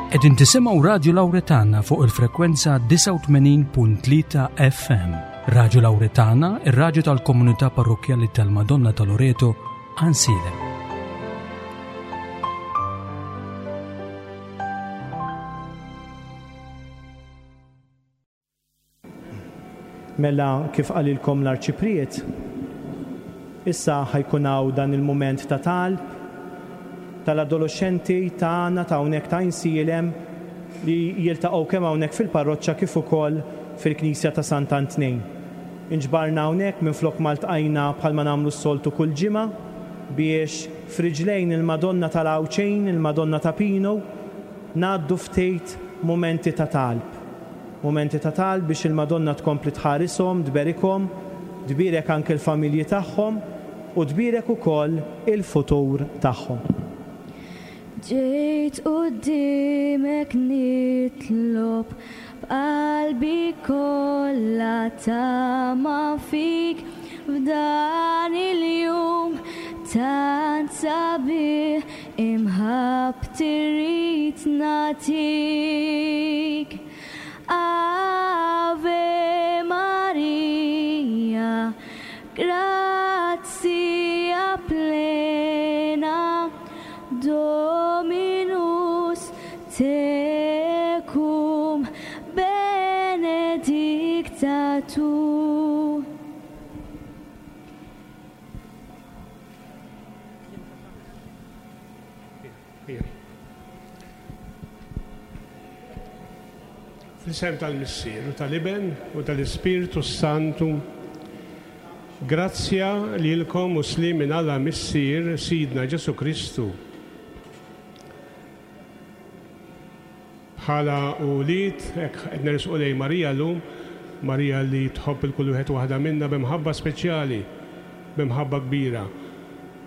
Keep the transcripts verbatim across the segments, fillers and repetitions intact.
Qegħdin tisimgħu Radju Lawretana fuq il-frekwenza disgħa u tmenin punt tlieta F M. Radju Lawretana, ir-radju tal-komunità parrokkjali tal-Madonna ta' Loreto, Għajnsielem. Mela kif qalilkom l-Arċipriet, issa ħajkun hawn dan il-mument ta' talb tal-adolescenti tagħna ta' hawnhekk ta' Għajnsielem li jiltaqgħu kemm hawnhekk fil-parroċċa kif ukoll fil-Knisja ta' Sant'Antnin. Inġbarna hawnhekk minflok ma ltqajna bħalma nagħmlu s-soltu kull ġimgħa biex friġlejn il-Madonna tal-Għawdxin, il-Madonna ta' Pinu, ngħaddu ftit mumenti ta' talb. Mumenti ta' talb biex il-Madonna tkompli tħarisom, tberikhom, tbierek anke l-familji tagħhom u tbierek ukoll il-futur tagħhom. Ġejt qudiemek nitlob b'qalbi kollha tama fik f'dan il-jum tant sabiħ imħabbti rrid nagħtik. Ave Maria, grazzia plena, Dominus tecum, benedicta tu. Fl-isem tal-Missier u tal-Iben u tal-Ispirtu Santu, grazzja lilkom u sliem minn Alla Missier Sidna Ġesu Kristu. Bħala ulied, hekk qed nersqu lejn Marija llum, Marija li tħobb il kull wieħed waħda minna b'imħabba speċjali, b'imħabba kbira.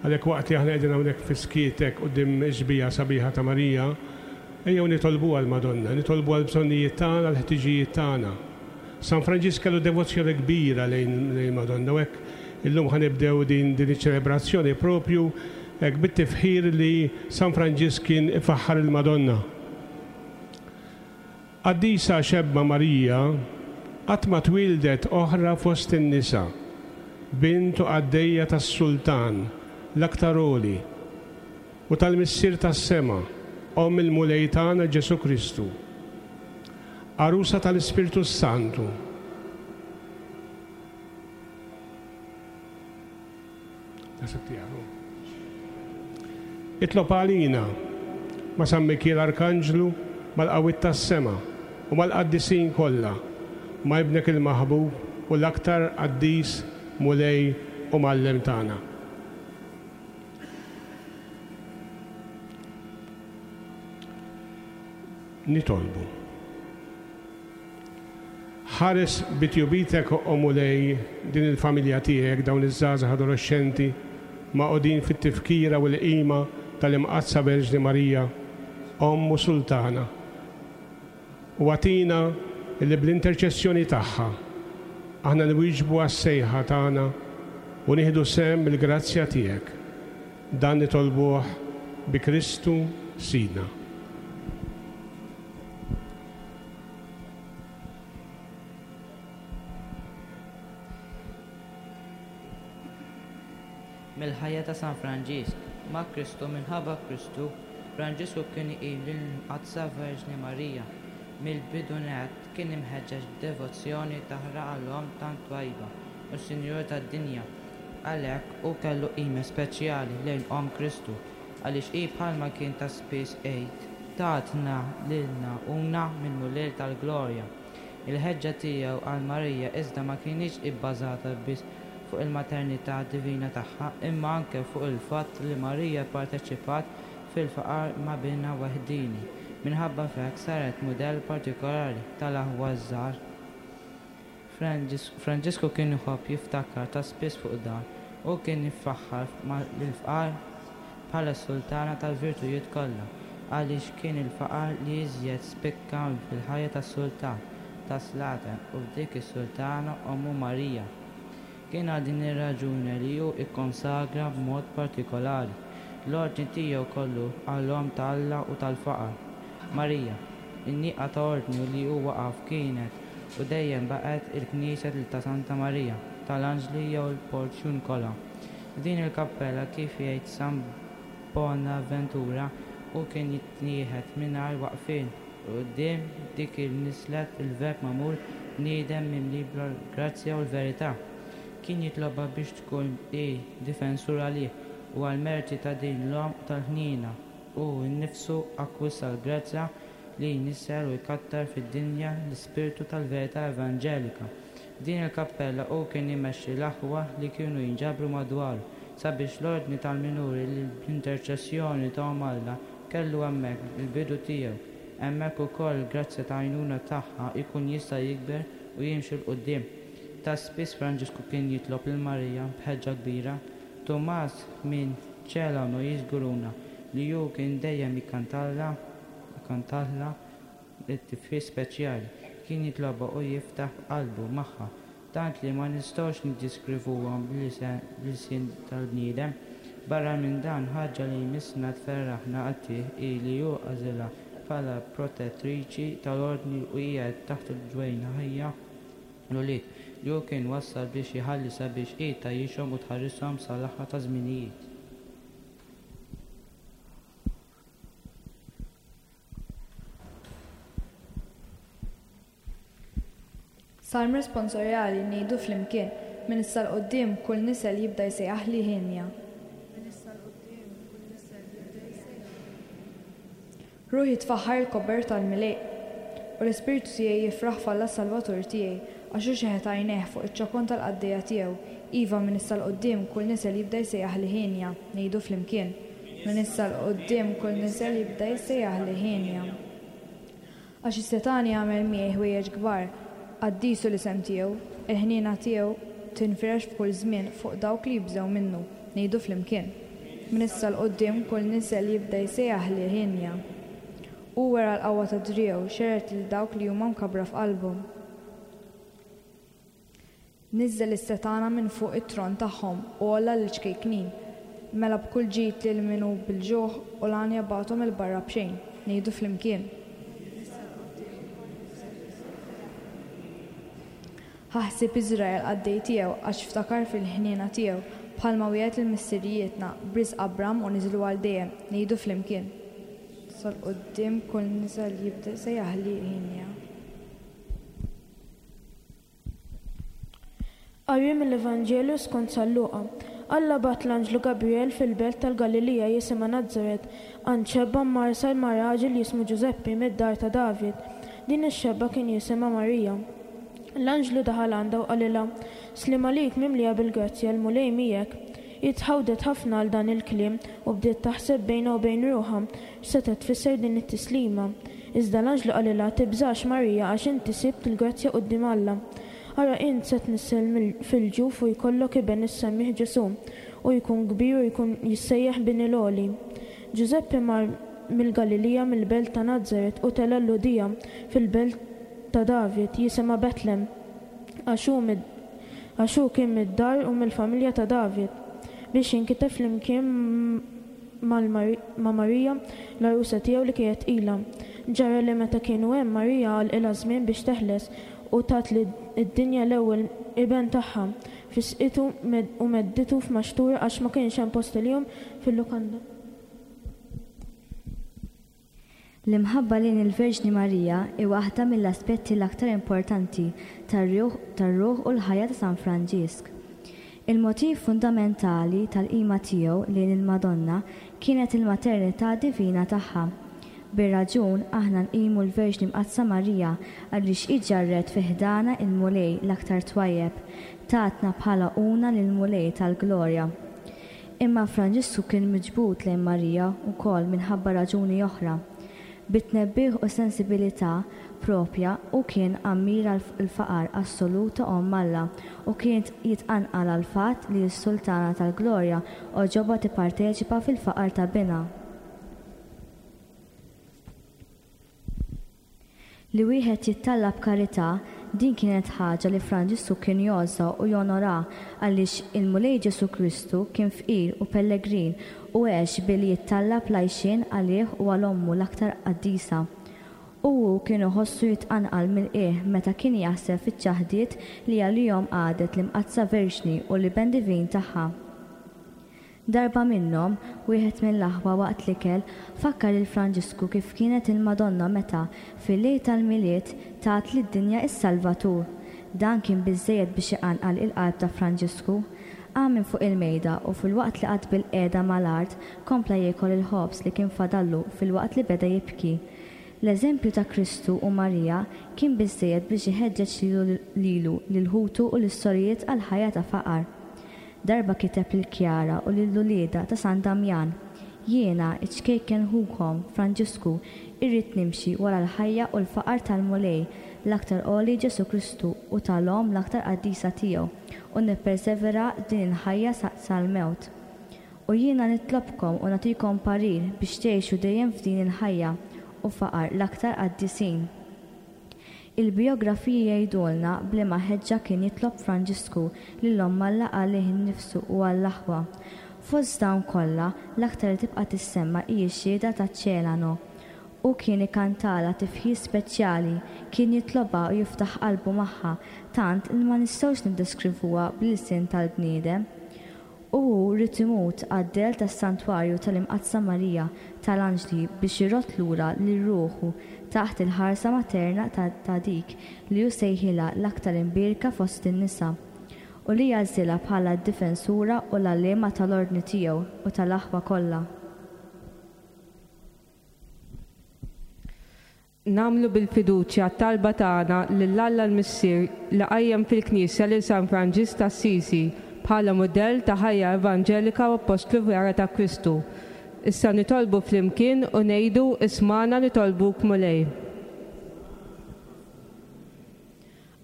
Għalhekk waqt li aħna qegħdin hawnhekk fi skietek quddiem ix-xbieha sabiħa ta' Marija, ejjew nitolbu għall-Madonna, nitolbu għall-bżonnijiet tagħna, għall-ħtiġijiet tagħna. San Franġisk kellu devozzjoni kbira lejn, lejn Madonna, u hekk illum ħanibdew din, din iċ-ċelebrazzjoni propju hekk bit-tifħir li San Franġisk kien ifaħħar il-Madonna. Qaddisa xebba Marija qatt ma twildet oħra fost in-nisa, bint u qaddejja tas-Sultan l-aktar għoli u tal-Missier tas-sema, Omm il-Mulej tagħna Ġesu Kristu, għarusa tal-Ispirtu Santu. Nasib tiegħu. Itlob għalina ma' San Mikiel Arkanġlu, mal-qawwiet tas-sema u mal-qaddisin kollha, ma' ibnek il-maħbub u l-aktar qaddis Mulej u Mgħallem tagħna. Nitolbu. Ħares bitjubitek, o Mulej, din il-familja tiegħek, dawn iż-żgħażagħ adolescenti maqgħudin fit-tifkira u l-qima tal-Imqaddsa Verġni Marija, Omm u Sultana. U għatina li bl-interċessjoni tagħha aħna nwieġbu għas-sejħa tagħna u nieħdu sehem mill-grazzja tiegħek. Dan nitolbuh bi Kristu Sidna. Mill-ħajja ta' San Franġisk, ma' Kristu minħabba Kristu, Franġisku kien iqim lill-Imqaddsa Verġni Marija. Mill-bidu nett kien imħeġġeġ b'devozzjoni taħraq għall-Omm tant twajba u Sinjur tad-dinja. Għalhekk hu kellu qima speċjali lejn Omm Kristu, għaliex hi bħalma kien ta' spiss għid tatna lilna una mill-Mulej tal-Glorja. Il-ħeġġa tiegħu għal Marija iżda ma kienx ibbażata biss fuq il-maternità divina tagħha, imma anke fuq il-fatt li Marija pparteċipat fil-faqar ma' binha waħdini. Minħabba f'hekk saret mudell partikolari tal-aħwa żgħar. Franġisku kien iħobb jiftakar ta' spiss fuq dan u kien ifaħħar lill-fqar bħala s-sultana tal-virtujiet kollha, għaliex kien il-faqar li iżjed spikka fil-ħajja tas-sultan tas-slaten u f'dik is-sultana ommu Marija. Kien għal din ir-raġuni li hu ikkonsagra b'mod partikolari l-ordni tiegħu kollu għall-Omm ta' Alla u tal-faqar. Marija. In-nieqa ta' ordni li hu waqaf kienet u dejjem baqgħet il-Knisja ta' Santa Marija tal-Anġli jew il-Porziuncola. F'din il-kappella, kif jgħid San Bonaventura, hu kien jitniehed mingħajr waqfien quddiem dik li nisslet il-Verb magħmul bniedem mimli bil-grazzja u l-verità. Kien jitlobha biex tkun hi difensur għalih u għall-merti ta' din l-Omm tal-ħniena hu nnifsu akkwista l-grazzja li jnissel u jkattar fid-dinja l-ispirtu tal-verità evanġelika. F'din il-kappella hu kien imexxi l-aħwa li kienu jinġabru madwaru sabiex l-ordni tal-minuri li bl-interċessjoni ta' Omm Alla kellu hemmhekk il-bidu tiegħu, hemmhekk ukoll grazzja ta' għajnuna tagħha jkun jista' jikber u jimxi 'l quddiem. Ta' spiss Franġisku kien jitlob lil Marija b'ħeġġa kbira. Tumas minn Celano jiżguruna li hu kien dejjem jikkantalha jkantalha it-tifħir speċjali. Kien jitlobha u jiftaħ qalbu magħha, tant li ma nistgħux niddeskrivuhom bl-ilsien tal-bniedem. Barra minn dan, ħaġa li jmissna tferraħna qatigħ hi li hu għażilha bħala protettriċi tal-ordni u qiegħed taħt ġwenħajha l-ulied li hu kien wassal biex iħalli sabiex hi tgħajjixhom u tħarishom sal-aħħar taż-żminijiet. Salm responsorjali ngħidu flimkien, minn issa 'l quddiem kull nisel jibda jsejjaħli hienja. Minn issa 'l quddiem kull nisel jibda jsejjaħli. Ruħi tfaħħar il-kobor tal-Mulej, u l-ispirtu tiegħi jifraħ f'Alla Salvatur tiegħi, għax hu xeħet għajnejh fuq iċ-ċokon tal-qaddejja tiegħu. Iva, minn issa 'l quddiem kull nisel jibda jsejjaħli hienja. Ngħidu flimkien. Minn issa 'l quddiem kull nisel jibda jsejjaħli hienja. Għax is-setgħani għamel miegħi ħwejjeġ kbar, qaddis hu l-isem tiegħu, il-ħniena tiegħu tinfirex f'kull żmien fuq dawk li jibżgħu minnu. Ngħidu flimkien. Minn issa 'l quddiem kull nisel jibda jsejjaħli hienja. Hu wera l-qawwa ta' driegħu, xerred lil dawk li huma mkabbra f'qalbhom. Niżżel is-setgħana minn fuq it-tron tagħhom u għolla lil ċkejknin. Mela b'kull ġid lil min hu bil-ġuħ u l-għanja bagħathom 'il barra b'xejn. Ngħidu flimkien. Ħa ħsieb Iżrael qaddej tiegħu għax ftakar fil-ħniena tiegħu, bħalma wiegħed lil missirijietna b'risq Abram u niżlu għal dejjem. Ngħidu flimkien. Sal quddiem kull nisel jibda jsejjaħli hienja. Qari mill-Evanġelju skont San Luqa. Alla bagħat l-anġlu Gabriel fil-belt tal-Galilija jisimha Nazaret, għand xebba mgħarsa ma' raġel jismu Ġużeppi mid-dar ta' David. Din ix-xebba kien jisimha Marija. L-anġlu daħal għandha u qalilha: Sliem għalik mimlija bil-grazzja, l-Mulej miegħek. Hi tħawdet ħafna għal dan il-kliem u bdiet taħseb bejnha u bejn ruħha x'setgħet tfisser din it-tislima. Iżda l-anġlu qalilha: Tibżax Marija, għax inti sibt il-grazzja quddiem Alla. Ara int se tnissel fil-ġuf u jkollok iben issemmih Ġesù, u jkun kbir u jkun jissejjaħ Bin il-Għoli. Ġużeppi mar mill-Galilija mill-belt ta' Nazaret u tela' l-Lhudija fil-belt ta' David jisimha Betlem, għax hu kien mid-dar u mill-familja ta' David, biex jinkiteb flimkien ma' Marija l-għarusa tiegħu li kienet tqila. Ġara li meta kienu hemm, Marija għalqilha żmien biex teħles u tat lid-dinja l-ewwel iben tagħha, fisqitu u medditu f'maxtura għax ma kienx hemm post għalihom fil-lukanda. L-imħabba lejn il-Verġni Marija hi waħda mill-aspetti l-aktar importanti tar-ruħ u l-ħajja ta' San Franġisk. Il-motiv fundamentali tal-qima tiegħu lejn il-Madonna kienet il-maternità divina tagħha. Bir-raġun aħna nqimu l-Verġni Mqaddsa Marija għaliex hi ġarret fi ħdana il-Mulej l-aktar twajjeb, tatna bħala una lill-Mulej tal-Glorja. Imma Franġisku kien miġbud lejn Marija wkoll minħabba raġuni oħra. Bit-tnebbiħ u sensibilità propja u kien ammira l-faqar assolut ta' Omm Alla u kien jitqanqal għall-fatt li s-Sultana tal-Glorja għoġobha tipparteċipa fil-faqar ta' binha. Li wieħed jittallab karità, din kienet ħaġa li Franġisku kien jgħożżha u jonora għaliex il-Mulej Ġesù Kristu kien fqir u pellegrin u għex billi jittallab l-għajxien għalih u għal ommu l-aktar qaddisa. U hu kien iħossu jitqanqal mill-qiegħ meta kien jaħseb fiċ-ċaħdiet li għalihom qagħdet l-Imqaddsa Verġni u l-Iben Divin tagħha. Darba minnhom, wieħed mill-aħwa waqt l-ikel fakkar lil Franġisku kif kienet il-Madonna meta, fil-lejl tal-Milied, tat lid-dinja s-Salvatur. Dan kien biżżejjed biex iqanqal il-qalb ta' Franġisku. Qam minn fuq il-mejda u filwaqt li qagħad bilqiegħda mal-art, kompla jiekol il-ħobż li kien fadallu filwaqt li beda jibki. L-eżempju ta' Kristu u Marija kien biżżejjed biex iħeġġeġ lilu, lil ħutu u lis-sorijiet għal ħajja ta' faqar. Darba kiteb lil Kjara u lil uliedha ta' San Damjan, Jiena, iċ-ċkejken ħukom, Franġisku, irrid nimxi wara l-ħajja u l-faqar tal-Mulej l-aktar għoli Ġesù Kristu u tal-Omm l-aktar qaddisa tiegħu, u nippersevera f'din il-ħajja sal-mewt. U jiena nitlobkom u nagħtikom parir biex tgħixu dejjem f'din il-ħajja u faqar l-aktar qaddisin. Il-bijografiji jgħidulna b'liema ħeġġa kien jitlob Franġisku lil Omm Alla għalih innifsu u għall-aħwa. Fost dawn kollha, l-aktar li tibqa' tissemma hi x-xhieda ta' Celano. Hu kien ikantalha tifħir speċjali, kien jitlobha u jiftaħ qalbu magħha, tant li ma nistgħux niddeskrivuha bl-ilsien tal-bniedem. U hu ried imut għad-dell tas-Santwarju tal-Imqaddsa Marija tal-Anġli biex irodd lura lil ruħu taħt il-ħarsa materna ta' dik li hu sejħilha l-aktar imbierka fost in-nisa, u li għażilha bħala d-difensura u l-għalliema tal-ordni tiegħu u tal-aħwa kollha. Nagħmlu bil-fiduċja t-talba tagħna lil Alla l-Missier li qajjem fil-Knisja lil San Franġisk t'Assisi bħala mudell ta' ħajja evanġelika u appostlu vera ta' Kristu. Issa nitolbu flimkien u ngħidu ismagħna nitolbuk Mulej.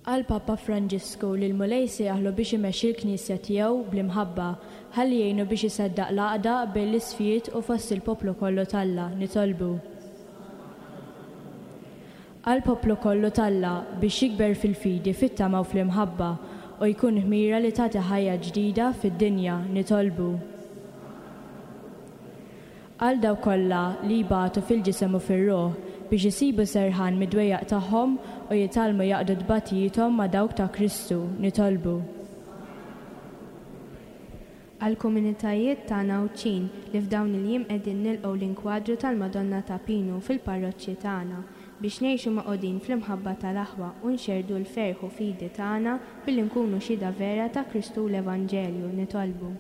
Qal Papa Franġisku li l-Mulej sejjaħlu biex imexxi l-Knisja tiegħu bl-imħabba, ħalli jgħinu biex iseddaq l-għaqda bejn l-isfijiet u fost il-poplu kollu t'Alla. Nitolbu. Għal poplu kollu t'Alla biex jikber fil-fidi, fit-tama u fl-imħabba u jkun ħmira li tagħti ħajja ġdida fid-dinja. Nitolbu. Għal dawk kollha li jbatu fil-ġisem u fir-ruħ biex isibu serħan mid-dwejjaq tagħhom u jitgħallmu jaqdu tbatijiethom ma' dawk ta' Kristu. Nitolbu. Għal komunitajiet tagħna Għawdxin li f'dawn il-jiem qegħdin nilqgħu l-inkwadru tal-Madonna ta' Pinu fil-parroċċi tagħna biex ngħixu magħqudin fl-imħabba tal-aħwa u nxerrdu l-ferħ u fidi tagħna billi nkunu xhieda vera ta' Kristu u l-Evanġelju. Nitolbu.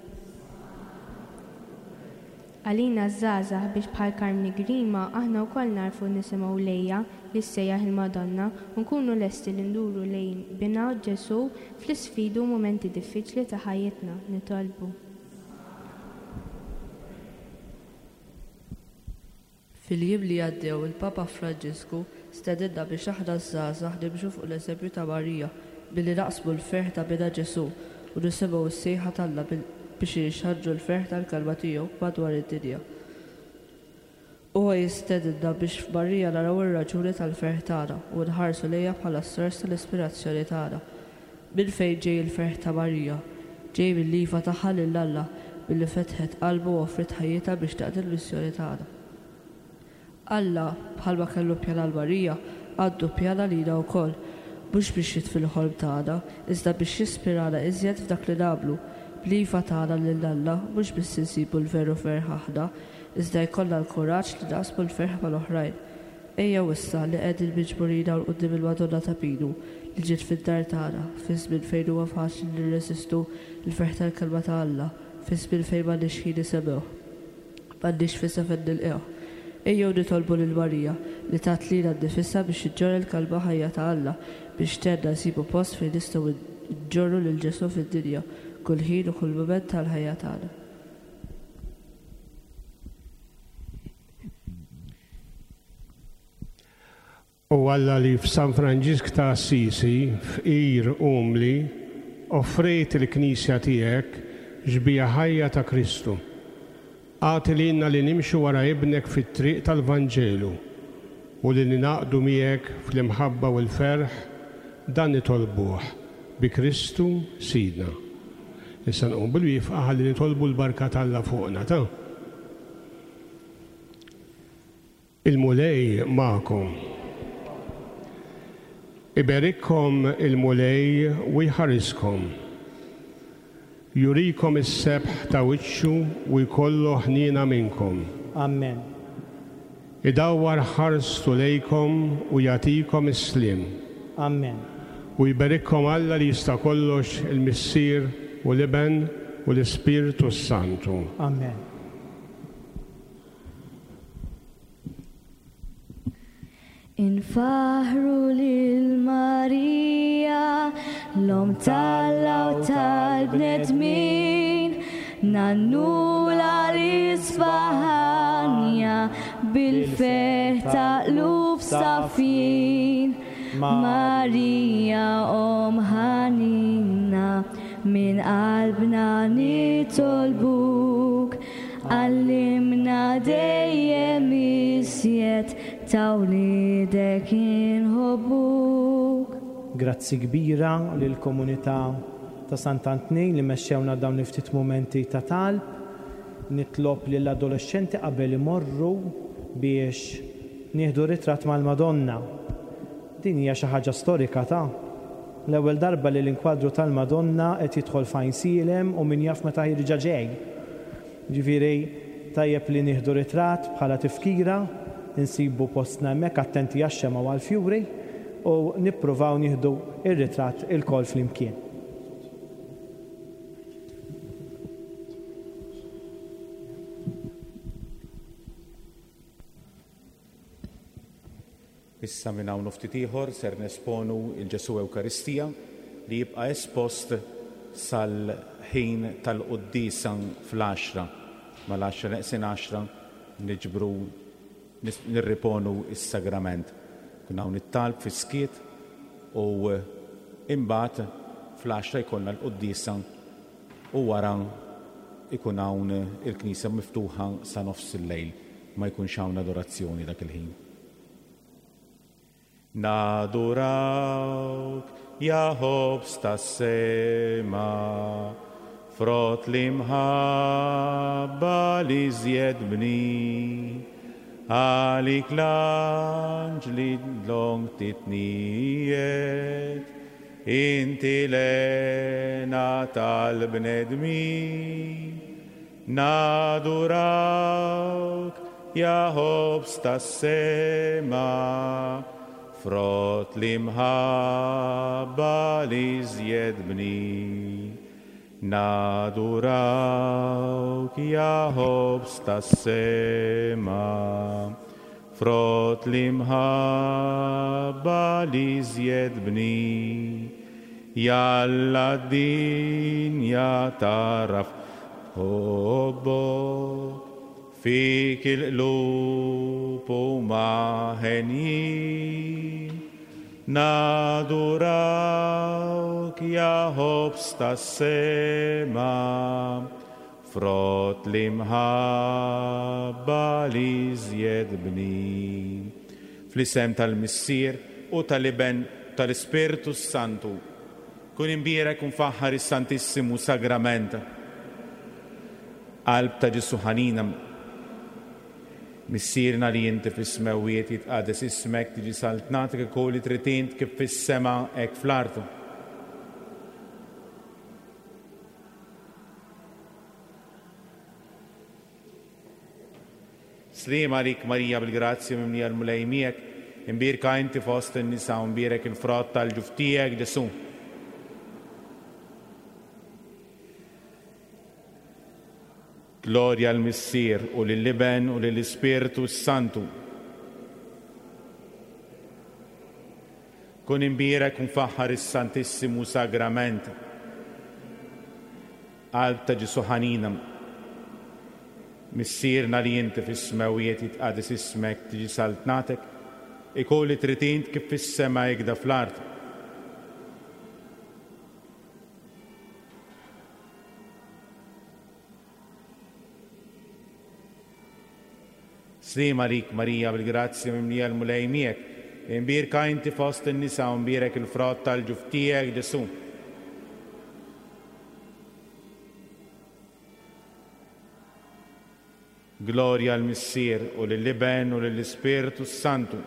Għalina żgħażagħ biex bħal Karmni Grima aħna wkoll narfu nisimgħu lejja li ssejjaħ il-Madonna u nkunu lesti li nduru lejn Binha Ġesù fl-isfidi u mumenti diffiċli ta' ħajjitna. Nitolbu. Fil-jiem li għaddew il-Papa Franġisku stedinna biex aħna żgħażagħ nimxu fuq l-eżempju ta' Marija billi naqsmu l-ferħ ta' Binha Ġesù u nisimgħu s-sejħa t'Alla biex inxandru l-ferħ tal-kelma tiegħu madwar id-dinja. Huwa jistedinna biex f'Marija naraw ir-raġuni tal-ferħ tagħna u nħarsu lejha bħala s-sors tal-ispirazzjoni tagħna. Minn fejn ġej il-ferħ ta' Marija? Ġej mill-iva tagħha lil Alla billi fetħet qalbu u offriet ħajjitha biex taqdi l-missjoni tagħna. Alla, bħalma kellu pjan għal Marija, għandu pjan għalina wkoll, mhux biex jitfi l-ħolm tagħna, iżda biex jispirana iżjed f'dak li nagħmlu. Bl-iva tagħna lil Alla mhux biss insibu l-veru ferħ aħna, iżda jkollna l-kuraġġ li naqsmu l-ferħ mal-oħrajn. Ejjew issa li qegħdin miġburin hawn quddiem il-Madonna ta' Pinu li ġiet fid-dar tagħna, fi żmien fejn huwa faċli nirreżistu l-ferħ tal-kelma ta' Alla, fi żmien fejn m'għandniex ħin nisemgħuh, m'għandniex fisa fejn nilqgħuh. Ejjew nitolbu lil Marija li tat lilha nnifisha biex iġġorr il-kelma ħajja ta' Alla biex tgħinna nsibu post fejn nistgħu nġorru lil Ġesù fid-dinja kull ħin u kull mument tal-ħajja tagħna. U Alla li f'San Franġisk ta' Assisi, fqir umli, offrejt il-Knisja tiegħek xbieha ħajja ta' Kristu. Agħti lilna li nimxu wara ibnek fit-triq tal-Vanġelu u li ninaqdu miegħek fl-imħabba u l-ferħ, dan nitolbuh bi Kristu Sidna. Issa nqum bil-wieqfa ħalli nitolbu l-barka t'Alla fuqna ta'. Il-Mulej magħkom. Iberikkom il-Mulej u jħariskom. Jurikom is-sebħ ta' wiċċu u jkollu ħniena minnkom. Amen. Idawwar ħarstu lejkom u jagħtikom is-sliem. Amen. U jberikkom Alla li jista' kollox, il-Missier u l-Iben u l-Ispirtu s-Santu. Amen. Infaħru lil Marija, l-Omm t'Alla u tal-bnedmin, nannula l-Isfahanja bil-ferħ ta' qlub safjin. Marija Omm ħanina, minn qalbna nitolbuk, għallimna dejjem iżjed ta' wliedek inħobbuk. Grazzi kbira lill-komunità ta' Sant'Antnin li mexxewna dawn il-ftit mumenti ta' talb. Nitlob lill-adolescenti qabel imorru biex nieħdu ritratt mal-Madonna. Din hija xi ħaġa storika ta' l-ewwel darba li l-inkwadru tal-Madonna qed jidħol f'Għajnsielem u min jaf meta ħirġa ġej. Ġifieri tajjeb li nieħdu ritratt bħala tifkira, insibu postna hemmhekk attenti għax-xemgħa u għall-fjuri u nippruvaw nieħdu ir-ritratt ilkoll flimkien. Issa minn hawn ftit ieħor ser nesponu il-Ġesu Ewkaristija li jibqa' espost sal-ħin tal-quddiesa fl-għaxra. Mal-għaxra neqsin għaxra niġbru nirriponu is-sagrament. Kun hawn it-talb fis-skiet u imbagħad fl-għaxra jkollna l-quddiesa u wara ikun hawn il-knisja miftuħa sa nofs il-lejl, ma jkunx hawn adorazzjoni dak il-ħin. Nadurawk, ja ħobż tas-sema, frott l-imħabba li żjed bnin, għalik l-anġli long titnijiet, inti l-hena tal-bnedmin. Nadurawk, ja ħobż tas-sema, frott l-imħabba li żjed bnin. Nadurawk, ja ħobż tas-sema, frott l-imħabba li żjed bnin. Jalla d-dinja taraf ħobbok, fik il-qlub huma henjin. Nadurawk, ja ħobż tas-sema, frott l-imħabba li żjed bnin. Fl-isem tal-Missier u tal-Iben tal-Ispirtu s-Santu, kun imbierek u mfaħħar is-Santissimu Sagrament. Qalb ta' Ġesu ħanina, Missierna li inti fis-smewwiet, jitqades ismek, tiġi saltnatek, ikun li trid int kif fis-sema hekk fl-art. Sliem għalik Marija bil-grazzja mimlija l-Mulej miegħek, imbierka inti fost in-nisa u mbierek il-frott tal-ġuf tiegħek Ġesu. Glorja l-Missier u lill-Iben u lill-Ispirtu s-Santu. Kun imbierek u mfaħħar is-Santissimu Sagrament. Qalb ta' Ġesu ħanina, Missierna li inti fis-smewwiet, jitqades ismek, tiġi saltnatek, ikun li trid int kif fis-sema hekk fl-art. Sliem għalik Marija bil-grazzja mimlija l-Mulej miegħek, imbierka inti fost in-nisa u mbierek il-frott tal-ġuf tiegħek Ġesu. Glorja l-Missier u lill-Iben u lill-Ispirtu Santu.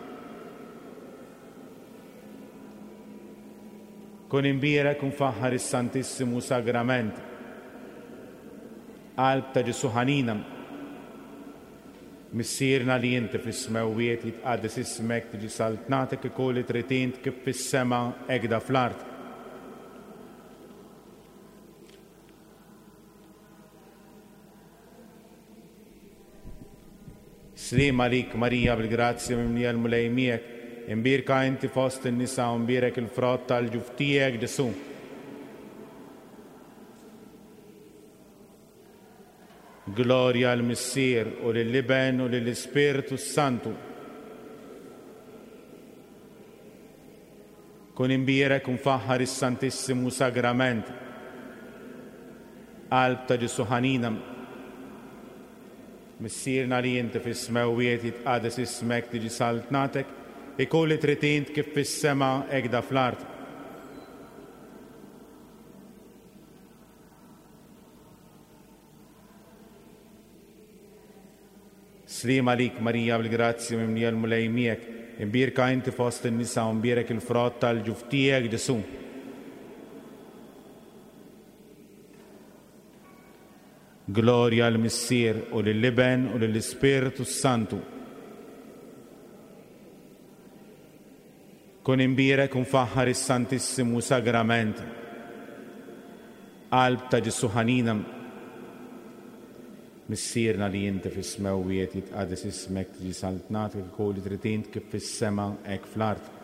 Kun imbierek u mfaħħar is-Santissimu Sagrament. Qalb ta' Ġesù ħanina. Missierna li inti fis-smewwiet jitqaddes ismek, tiġi saltnatek, ikun li trid int kif fis-sema hekk fl-art. Sliem għalik Marija bil-grazzja mimlija l-Mulej miegħek, imbierka inti fost in-nisa u mbierek il-frott tal-ġuf tiegħek Ġesù. Glorja l-Missier u lill-Iben u lill-Ispirtu Santu. Kun imbierek u mfaħħar is-Santissimu Sagrament. Qalb ta' Ġesù ħanina. Missierna li inti fis-smewwiet jitqades ismek, tiġi saltnatek, ikun li trid int kif fis-sema hekk fl-art. Sliem għalik Marija bil-grazzja mimlija l-Mulej miegħek, imbierka inti fost in-nisa u mbierek il-frott tal-ġuf tiegħek Ġesù. Glorja l-Missier u lill-Iben u lill-Ispirtu Santu. Kun imbierek u mfaħħar is-Santissimu Sagrament. Qalb ta' Ġesù ħanina. Missierna li inti fis-smewwiet jitqades ismek, tiġi saltnatek, ikun li trid int kif fis-sema hekk fl-art.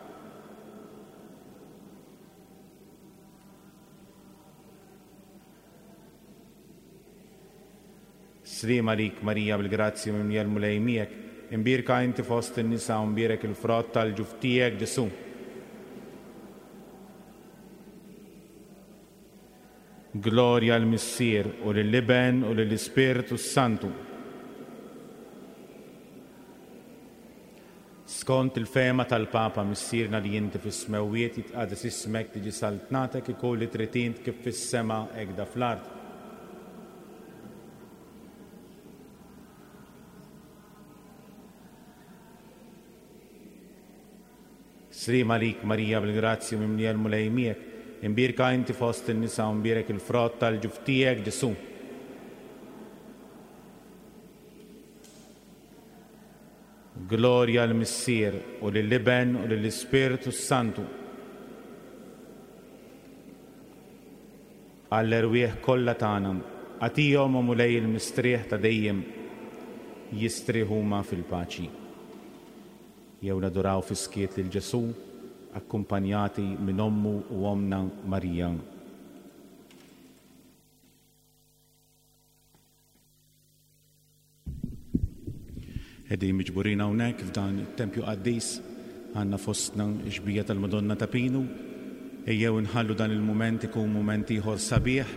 Sliem għalik Marija bil-grazzja mimlija l-Mulej miegħek, imbierka inti fost in-nisa u mbierek il-frott tal-ġuf tiegħek Ġesù. Glorja l-Missier u lill-Iben u lill-Ispirtu Santu. Skont il-fehma tal-Papa, Missierna li inti fis-smewwiet jitqades ismek, tiġi saltnatek, ikun li trid int kif fis-sema hekk fl-art. Sliem għalik Marija bil-grazzja mimlija l-Mulej miegħek, imbierka inti fost in-nisa u mbierek il-frott tal-ġuf tiegħek Ġesù. Glorja l-Missier u lill-Iben u lill-Ispirtu Santu. Għall-erwieħ kollha tagħna, agħtihom o Mulej il-mistrieħ ta' dejjem, jistrieħu huma fil-paċi. Jew naduraw fis-skiet lil Ġesù, akkumpanjati minn ommu u omna Marija. Qegħdin miġburin hawnhekk f'dan it-tempju qaddis, għandna fostna x-xbija tal-Madonna ta' Pinu. Ejjew inħallu dan il-mument ikun mument ieħor sabiħ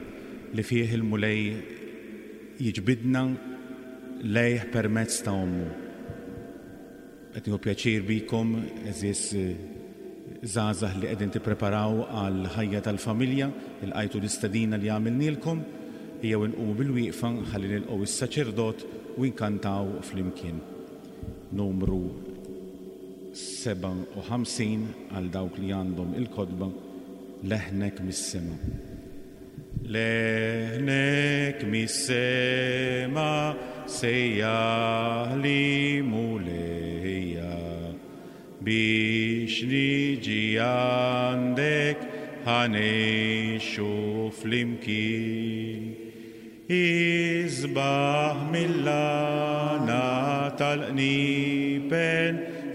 li fih il-Mulej jiġbidna lejh permezz ta' ommu. Qed nieħu pjaċir bikom, għeżież żgħażagħ li qegħdin tippreparaw għal ħajja tal-familja, ilqajtu l-istedina li għamilnielkom, ejjew inqumu bil-wieqfa ħalli nilqgħu is-saċerdot u nkantaw flimkien. Numru sebgħa u ħamsin għal dawk li għandhom il-kotba, Leħnek mis-sema. Leħnek mis-sema sejjaħli Mulejja, biex niġi għandek ħanejxu flimkien. Isbaħ mill-għana tal-qniepen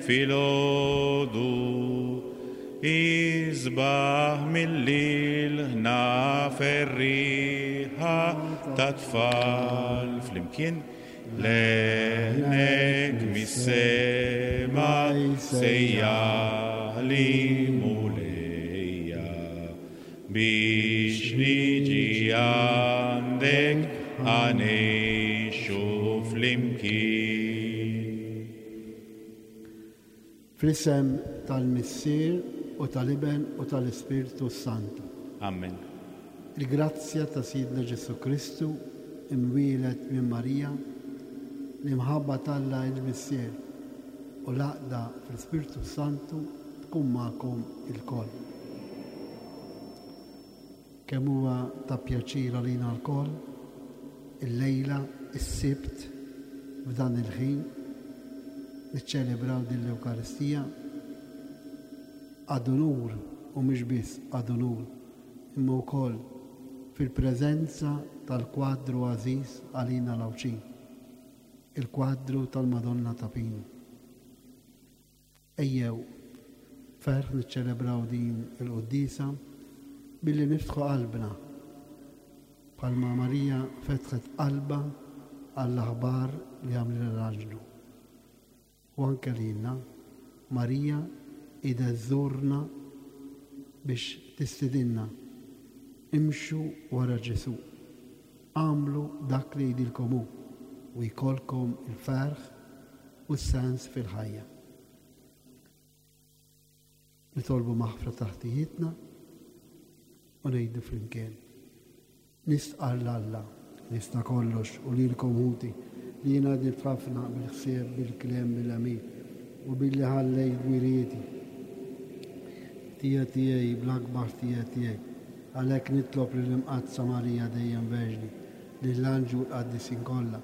filgħodu, isbaħ mill-ilħna ferriħa ta' tfal. Flimkien. Leħnek mis-sema sejjaħli Mulejja, biex niġi għandek ħanejxu flimkien. Fl-isem tal-Missier u tal-Iben u tal-Ispirtu Santu. Amen. Il-grazzja ta' Sidna Ġesù Kristu imwieled minn Marija, l-imħabba t'Alla il-Missier u l-għaqda fl-Ispirtu Santu tkun magħkom ilkoll. Kemm huwa ta' pjaċir għalina lkoll illejla is-Sibt f'dan il-ħin niċċelebraw din l-Ewkaristija ad unur u mhux biss ad unur imma wkoll fil-preżenza tal-kwadru għażiż għalina l-Għawdxin, il-kwadru tal-Madonna ta' Pinu. Ejjew ferħ niċċelebraw din il-quddiesa billi niftħu qalbna bħalma Marija fetħet qalbha għall-aħbar li għamlilha l-anġlu. U anke lilna Marija qiegħda żżurna biex tistedinna imxu wara Ġesù. Agħmlu dak li jgħidilkom hu u jkollkom il-ferħ u s-sens fil-ħajja. Nitolbu maħfra ta' ħtijietna u ngħidu flimkien. Nistqarr 'l Alla, jista' kollox u lilkom ħuti li jiena dnibt ħafna bil-ħsieb, bil-kliem, bil-għemil u billi ħallejt dmirijieti. Ħtija tiegħi bl-akbar ħtija tiegħi. Għalhekk nitlob lill-Imqaddsa Marija dejjem Verġni, lill-anġli u l-qaddisin kollha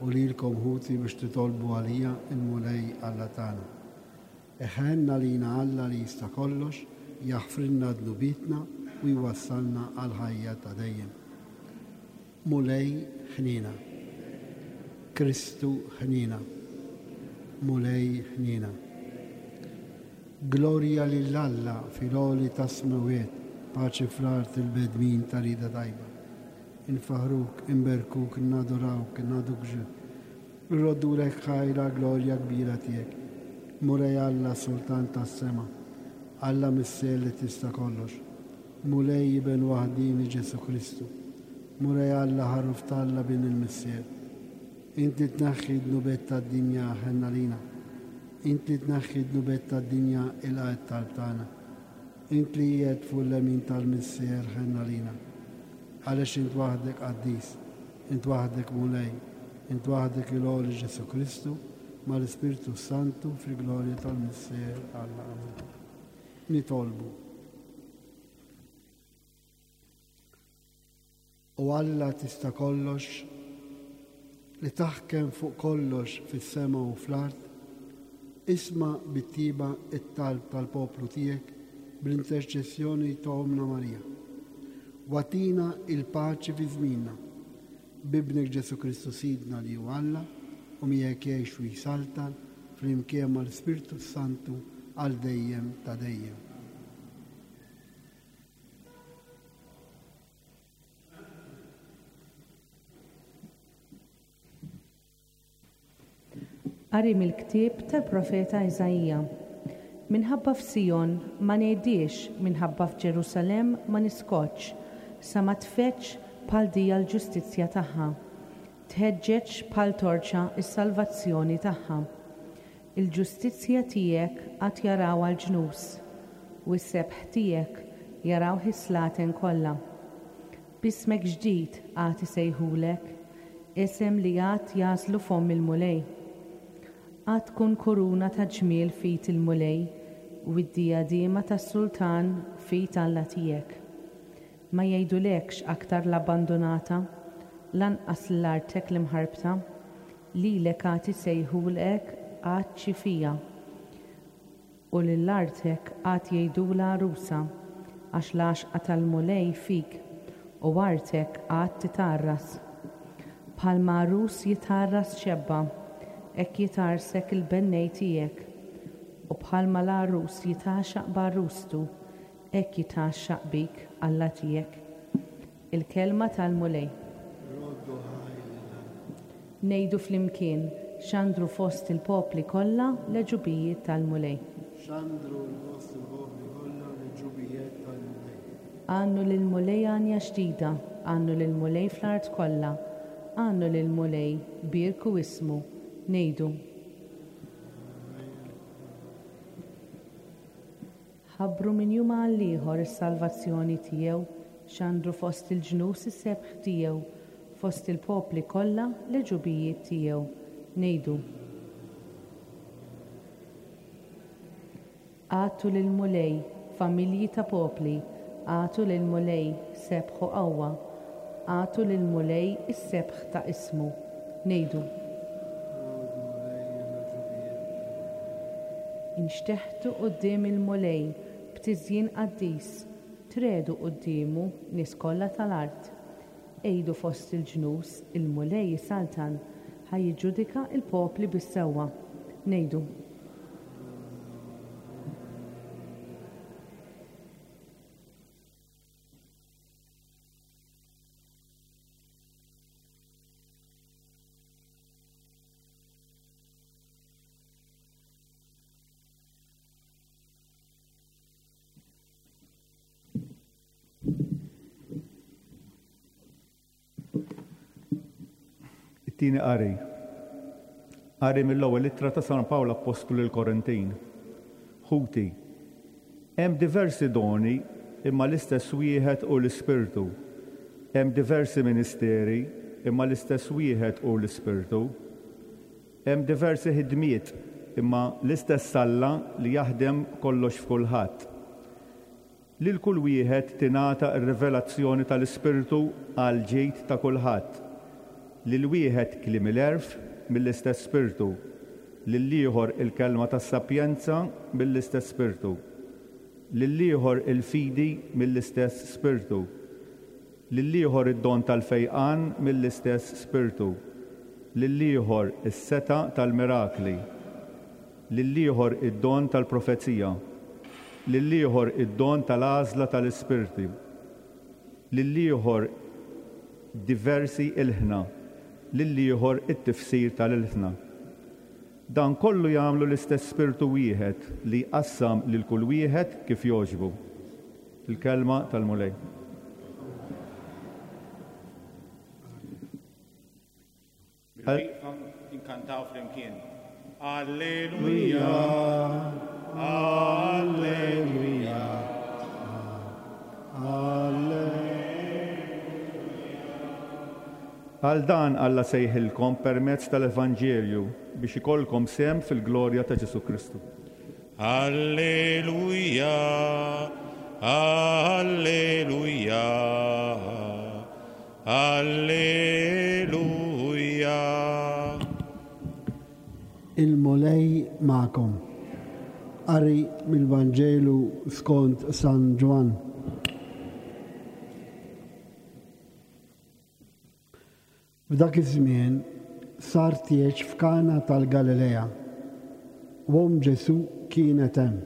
u lilkom ħuti biex titolbu għalija il-Mulej Alla tagħna. Iħenn għalina Alla li jista' kollox, jaħfrilna dnubietna u jwassalna għal ħajja ta' dejjem. Mulej ħniena. Kristu ħniena. Mulej ħniena. Glorja lil Alla fil-għoli tas-smewwiet, paċi fl-art il-bnedmin ta' rieda tajba. Infaħruk, inberkuk, nadurawk, nagħtuk ġieħ. Nroddulek ħajr għall-glorja kbira tiegħek. Mulej Alla, Sultan tas-sema, Alla Missier li tista' kollox. Mulej Iben waħdieni Ġesù Kristu. Mulej Alla ħaruf t'Alla bin il-Missier. Inti tneħħi dnubiet tad-dinja ħenn għalina. Inti tneħħi dnubiet tad-dinja ilqa' t-talb tagħna. Int li qiegħed fuq l-lemin tal-Missier ħenn għalina. Għaliex int waħdek qaddis, int waħdek Mulej, int waħdek il-għoli Ġesù Kristu, mal-Ispirtu Santu fil-glorja tal-Missier Alla. Amen. Nitolbu. O Alla tista' kollox, li taħkem fuq kollox fis-sema u fl-art, isma' bit-tiba it-talb tal-poplu tiegħek bl-interċessjoni ta' Ommna Marija. Wagħtina il-paċi fi żmienna, b'Ibnek Ġesù Kristu Sidna li hu Alla u miegħek jgħix u jsaltan flimkien mal-Ispirtu Santu għal dejjem ta' dejjem. Qari mill-ktieb tal-profeta Iżaija. Minħabba f'Sijon ma ngħidix, minħabba f'Ġerusalemm ma niskotx, sa ma tfeġġ bħal dija l-ġustizzja tagħha, tħeġġeġ bħal torċa s-salvazzjoni tagħha. Il-ġustizzja tiegħek għad jarawha l-ġnus, u s-sebħ tiegħek jarawh is-slaten kollha. B'ismek ġdid għad isejħulek, isem li għad jażlu fomm il-Mulej. Għad tkun kuruna ta' ġmiel f'id il-Mulej u d-dijadima tas-sultan f'id Alla tiegħek. Ma jgħidulekx aktar l-abbandonata, lanqas l-artek l-imħarbta, lilek għad isejħulek għad ċifija, u lill-artek għad jgħidulha għarusa, għax l-għaxqa tal-Mulej fik u artek għad titgħarras. Bħalma għarus jitgħarras xebba, hekk jitgħarsek il-bennej tiegħek, u bħalma l-għarus jitgħaxaq b'għarustu, hekk jitgħaxaq bik Alla tiegħek. Il-kelma tal-Mulej. Ngħidu flimkien, xandru fost il-popli kollha l-għeġubijiet tal-Mulej. Xandru fost il-popli kollha l-għeġubijiet tal-Mulej. Għannu lill-Mulej għanja ġdida, għannu lill-Mulej fl-art kollha, għannu lill-Mulej, bierku ismu. Ngħidu. Ħabbru minn jum għal ieħor is-salvazzjoni tiegħu, xandru fost il-ġnus is-sebħ tiegħu, fost il-popli kollha l-għeġubijiet tiegħu. Ngħidu. Agħtu lill-Mulej, familji ta' popli, agħtu lill-Mulej sebħ u qawwa, agħtu lill-Mulej is-sebħ ta' ismu. Ngħidu. Inxteħtu quddiem il-Mulej b'tiżjin qaddis, triegħdu quddiemu nies kollha tal-art. Għidu fost il-ġnus, il-Mulej isaltan, ħa jiġġudika l-popli bis-sewwa. Ngħidu. It-tieni qari. Qari mill-ewwel ittra ta' San Pawl Appostlu lill-Korintin. Ħuti, hemm diversi doni imma l-istess wieħed hu l-Ispirtu. Hemm diversi ministeri imma l-istess wieħed hu l-Ispirtu. Hemm diversi ħidmiet imma l-istess Alla li jaħdem kollox f'kulħadd. Lil kull wieħed tingħata r-rivelazzjoni tal-Ispirtu għall-ġid ta' kulħadd. Lil wieħed kliem il-għerf mill-istess Spirtu, lil ieħor il-kelma tas-sapjenza mill-istess Spirtu, lil ieħor il-fidi mill-istess Spirtu, lil ieħor id-don tal-fejqan mill-istess Spirtu, lil ieħor is-setgħa tal-mirakli, lil ieħor id-don tal-profezija, lil ieħor id-don tal-għażla tal-ispirti, lil ieħor diversi ilħna, lil ieħor it-tifsir tal-ilħna. Dan kollu jagħmlu l-istess Spirtu wieħed li jqassam lil kull wieħed kif jogħġbu. Il-kelma tal-Mulej. Bil-wieqfa inkantaw flimkien. Alleluja, Alleluja, Alleluja. Għal dan Alla sejħilkom permezz tal-Evanġelju biex ikollkom sehem fil-glorja ta' Ġesù Kristu. Alleluja, Alleluja, Alleluja. Il-Mulej magħkom. Qari mill-Vanġelu skont San Ġwann. F'dak iż-żmien sar tieġ f'Kana tal-Galilea, u omm Ġesù kienet hemm.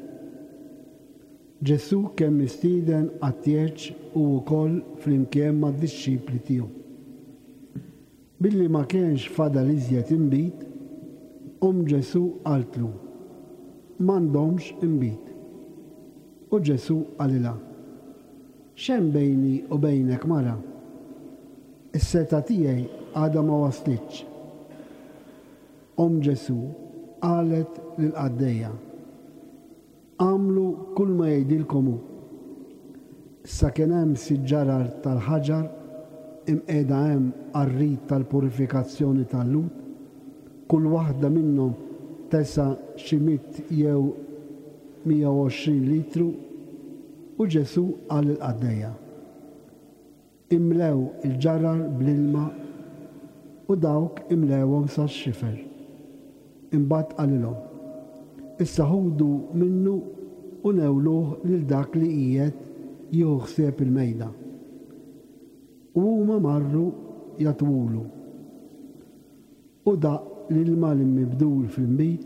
Ġesù kien mistieden għat-tieġ u wkoll flimkien mad-dixxipli tiegħu. Billi ma kienx fadal iżjed inbid, omm Ġesù qaltlu, m'għandhomx inbid. U Ġesù qalilha, x'hemm bejni u bejnek mara? Is-setgħa tiegħi għadha ma waslitx. Omm Ġesù qalet lill-qaddejja, għamlu kull ma jgħidilkom hu. Issa kien hemm sitt ġarar tal-ħaġar imqiegħda hemm għar-rit tal-purifikazzjoni tal-Lhud, kull waħda minnhom tesa' xi mitt jew mija u għoxrin litru, u Ġesù qal lill-qaddejja, imlew il-ġarar bl-ilma, u dawk imlewhom sax-xifer. Imbagħad qalilhom, issa ħudu minnu u newluh lil dak li qiegħed jieħu ħsieb il-mejda. U huma marru jagħtuhulu. U daq l-ilma li mibdul fl-inbid,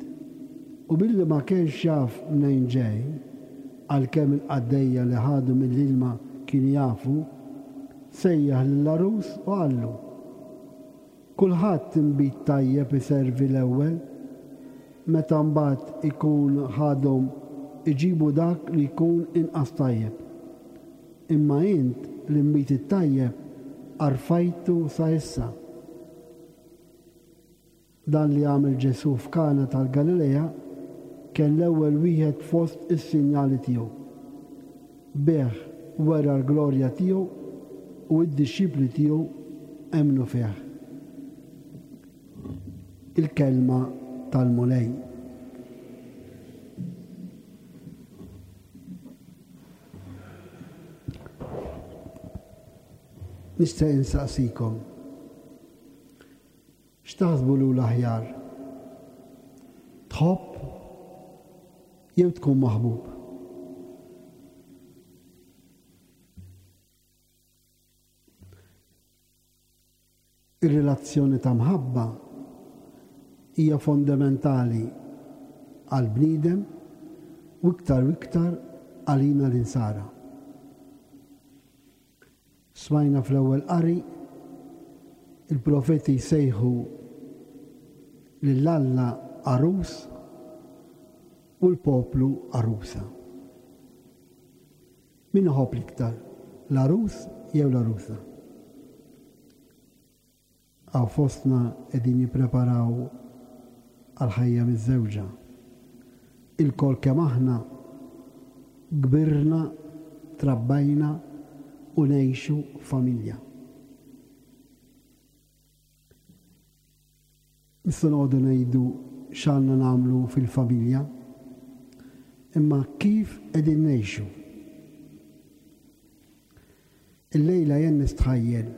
u billi ma kienx jaf mnejn ġej, għalkemm il-qaddejja li ħadu mill-ilma kienu jafu, sejjaħ lill-għarus u qallu, kulħadd inbid tajjeb iservi l-ewwel, meta mbagħad ikun ħadhom iġibu dak li jkun inqas tajjeb. Imma int l-inbid it-tajjeb għarfajtu sa issa. Dan li għamel Ġesù f'Kana tal-Galilea kien l-ewwel wieħed fost is-sinjali tiegħu. Bih wera l-glorja tiegħu u d-dixxipli tiegħu emmnu fih. Il-kelma tal-Mulej. Nista' insaqsikom. X'taħsbu lu l-aħjar? Tħobb jew tkun maħbub? Ir-relazzjoni ta' mħabba hija fondamentali għall-bniedem u iktar u iktar għalina l-insara. Smajna fl-ewwel qari il-profeti jsejħu lil Alla għarus u l-poplu għarusa. Min iħobb l-iktar, l-għarus jew l-għarusa? Għaw fostna qegħdin jippreparaw għal-ħajja miż-żewġa. Il-kol kemm aħna kbirna, trabbajna u ngħixu familja. Nistgħu noqogħdu ngħidu x'għandna nagħmlu fil-familja, imma kif qegħdin ngħixu. Illejla jien nistħajjel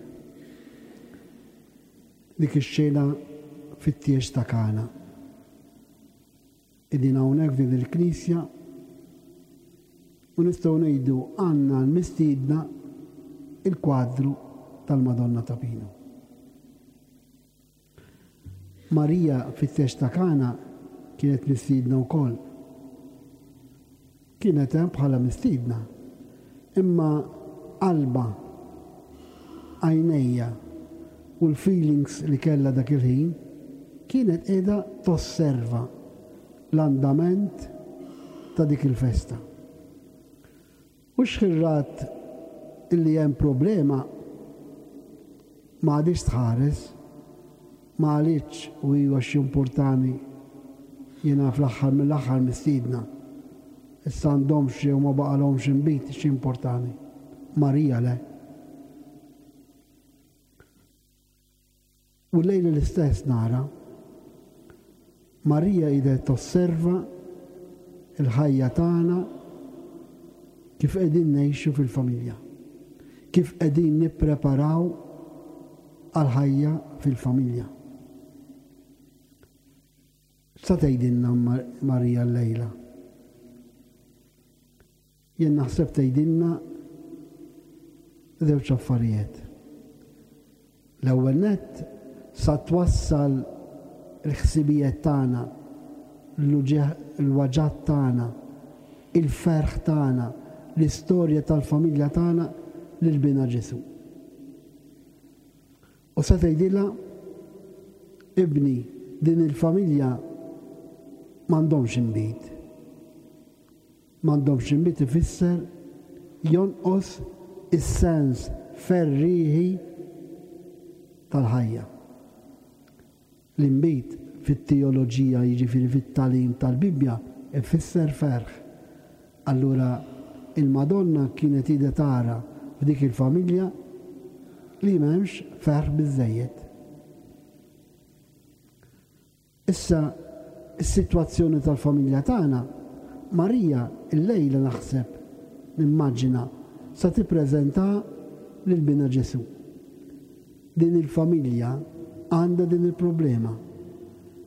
dik ix-xena fit-tieġ ta' Kana. Qegħdin hawnhekk f'din il-knisja u nistgħu ngħidu għandna l-mistiedna il-kwadru tal-Madonna ta' Pinu. Marija fit-tieġ ta' Kana kienet mistiedna wkoll. Kienet hemm bħala mistiedna, imma qalba, għajnejja u l-feelings li kellha dak il-ħin kienet qiegħda tosserva l-andament ta' dik il-festa. U xħirrat illi hemm problema ma għadix tħares, ma għalitx u iwa x'importani jiena fl-aħħar mill-aħħar mistiedna. Issa għandhomx jew ma baqalhomx inbid x'importani. Marija le. U lejla l-istess nara Marija qiegħda tosserva il-ħajja tagħna kif qegħdin ngħixu fil-familja, kif qegħdin nippreparaw għal-ħajja fil-familja. Sa tgħidilna Marija llejla? Jien naħseb tgħidilna żewġ affarijiet. L-ewwel nett sa twassal il-ħsibijiet tagħna, l-waġat tagħna, il-ferħ tagħna, l-istorja tal-familja tagħna lil bina Ġesù. U sa tgħidilha, ibni, din il-familja m'għandhomx inbid. M'għandhomx inbid ifisser jonqos is-sens ferrieħi tal-ħajja. L-inbid fit-teoloġija, jiġifieri fit-tagħlim tal-Bibbja, ifisser ferħ. Allura il-Madonna kienet qiegħda tara f'dik il-familja li m'hemmx ferħ biżżejjed. Issa is-sitwazzjoni tal-familja tagħna, Marija llejla naħseb, nimmaġina, sa tippreżenta lil bina Ġesù. Din il-familja għandha din il-problema.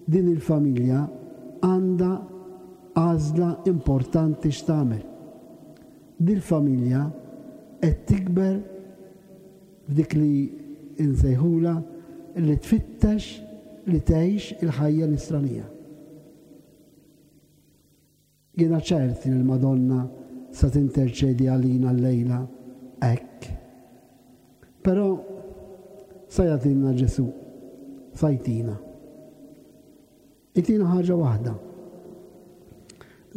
Din il-familja għandha għażla importanti x'tagħmel. Din il-familja qed tikber f'dik li insejħula li tfittex li tgħix il-ħajja nisranija. Jiena ċert li l-Madonna sa tinterċedi għalina llejla hekk. Però sa jagħtina Ġesù, sa jtina. Itina ħaġa waħda.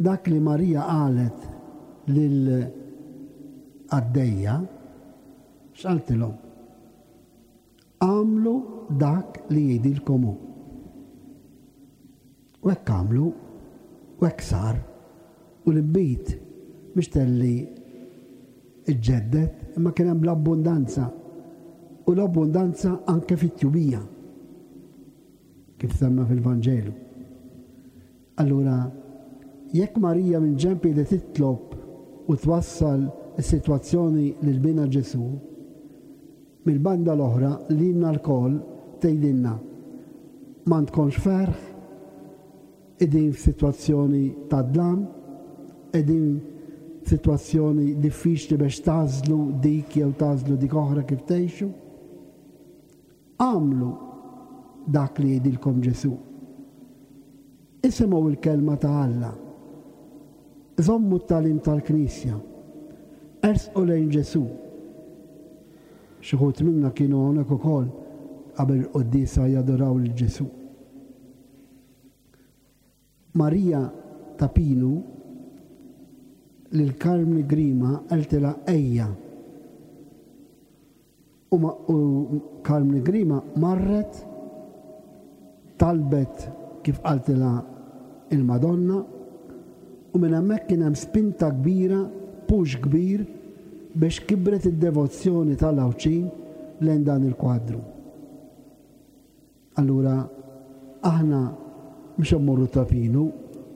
Dak li Marija qalet lil qaddejja, x'qaltilhom? Għamlu dak li jgħidilkom hu. U hekk għamlu, u hekk sar, u l-inbid mhux telli ġġedded, imma kien hemm l-abbundanza, u l-abbundanza anke fit-tjubija. kif semma fil-Vanġelu. Allura, jekk Marija minn ġenb li titlob u twassal is-sitwazzjoni lil bina Ġesù, mill-banda l-oħra lilna lkoll tgħidilna m'għandkomx ferħ, qegħdin f'sitwazzjoni ta' dlam, qegħdin f'sitwazzjoni diffiċli biex tagħżlu dik jew tagħżlu dik oħra kif tgħixu. Agħmlu dak li jgħidilkom Ġesù. Isimgħu l-kelma ta' Alla. Żommu t-tagħlim tal-Knisja. Ersqu lejn Ġesù. Xi wħud minna kienu hawnhekk ukoll qabel il-quddiesa jadoraw lil Ġesù. Marija ta' Pinu lil Karmni Grima qaltilha ejja. U ma-, u Karmni Grima marret talbet kif qaltilha il-Madonna u minn hemmhekk kien hemm spinta kbira, push kbir biex kibret id-devozzjoni tal-Għawdxin lejn dan il-kwadru. Allura aħna mhux immorru Ta' Pinu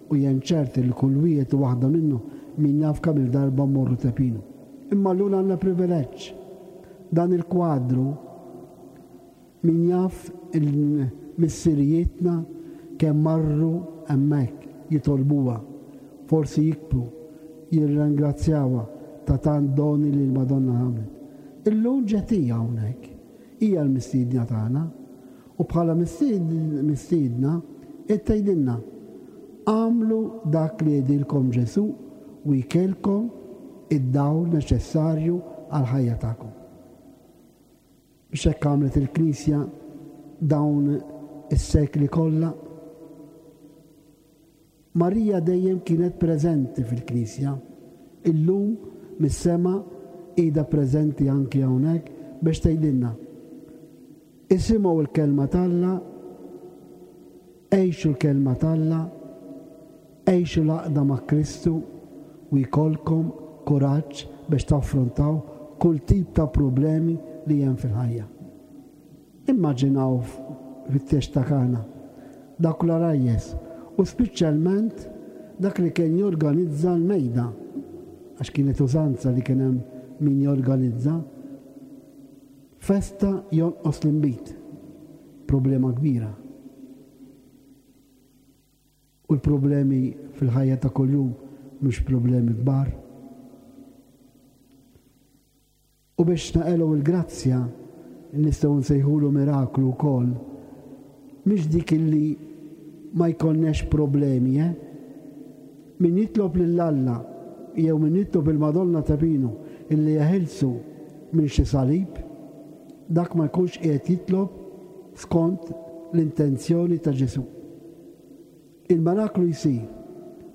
u jien ċert li kull wieħed u waħda minnu min jaf kemm il-darba mmorru Ta' Pinu. Imma llum għandna privileġġ. Dan il-kwadru min jaf il-missirijietna kemm marru hemmhekk jitolbuha, forsi jikbu, jirringrazzjawha ta' tant doni li l-Madonna għamlet. Illum ġiet hija hawnhekk, hija l-mistiedna tagħna u bħala mistiedna qed tgħidilna agħmlu dak li jgħidilkom Ġesù u jkelkom id-dawl neċessarju għall-ħajja tagħkom. Biex hekk għamlet il-Knisja dawn is-sekli kollha. Marija dejjem kienet preżenti fil-Knisja. Illum mis-sema qiegħda preżenti anki hawnhekk biex tgħidilna isimgħu l-kelma t'Alla, għixu l-kelma t'Alla, għixu l-għaqda ma' Kristu u jkollkom kuraġġ biex taffrontaw kull tip ta' problemi li hemm fil-ħajja. Immaġinaw fit-tieġ ta' Kana dak l-għarajjes u speċjalment dak li kien jorganizza l-mejda, għax kienet użanza li kien hemm min jorganizza festa jonqos l-inbid, problema kbira. U l-problemi fil-ħajja ta' kuljum mhux problemi kbar. U biex naqelu l-grazzja nistgħu nsejħulu miraklu wkoll, mhix dik illi ma jkollniex problemi, eh? Min jitlob lil Alla jew min jitlob il-Madonna ta' Pinu illi jeħilsu minn xi salib, dak ma jkunx qiegħed jitlob skont l-intenzjoni ta' Ġesù. Il-miraklu jsir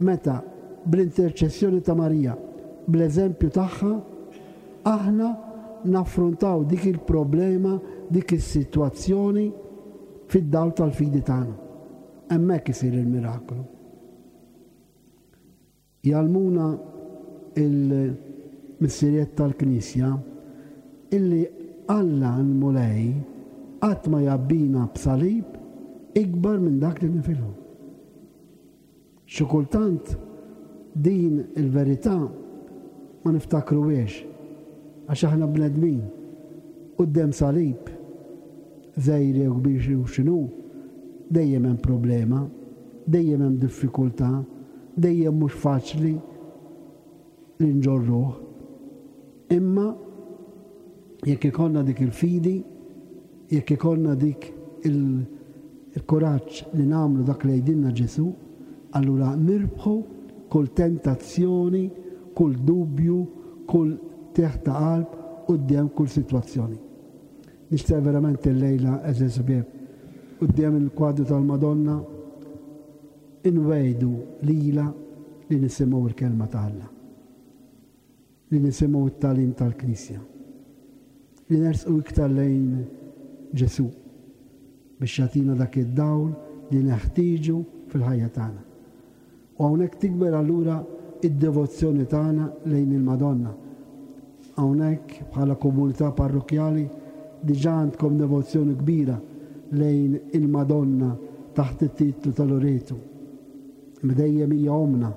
meta bl-interċessjoni ta' Marija, bl-eżempju tagħha, aħna naffrontaw dik il-problema, dik is-sitwazzjoni fid-dawl tal-fidi tagħna. Hemmhekk isir il-miraklu. Jgħallmuna il-missirijiet tal-Knisja illi Alla l-Mulej qatt ma jabbina b'salib ikbar minn dak li nifilhu. Xi kultant din il-verità ma niftakruhiex għax aħna bnedmin quddiem salib żgħir jew kbir jew x'inhu, dejjem hemm problema, dejjem hemm diffikultà, dejjem mhux faċli li nġorruh. Imma jekk ikollna dik il-fidi, jekk ikollna dik il-kuraġġ li nagħmlu dak li jgħidilna Ġesù, allura nirbħu kull tentazzjoni, kull dubju, kull teħ ta' qalb quddiem kull sitwazzjoni. Nixtieq verament illejla, għeżież ħbieb, quddiem il-kwadru tal-Madonna inwejdu lila li nisimgħu l-kelma ta' Alla, li nisimgħu t-tagħlim tal-Knisja, li nersqu iktar lejn Ġesù biex jagħtina dak id-dawl li neħtieġu fil-ħajja tagħna. U hawnhekk tikber allura id-devozzjoni tagħna lejn il-Madonna. Hawnhekk bħala komunità parrokkjali diġà għandkom devozzjoni kbira lejn il-Madonna taħt it-titlu ta' Loreto. Imma dejjem hija ommna.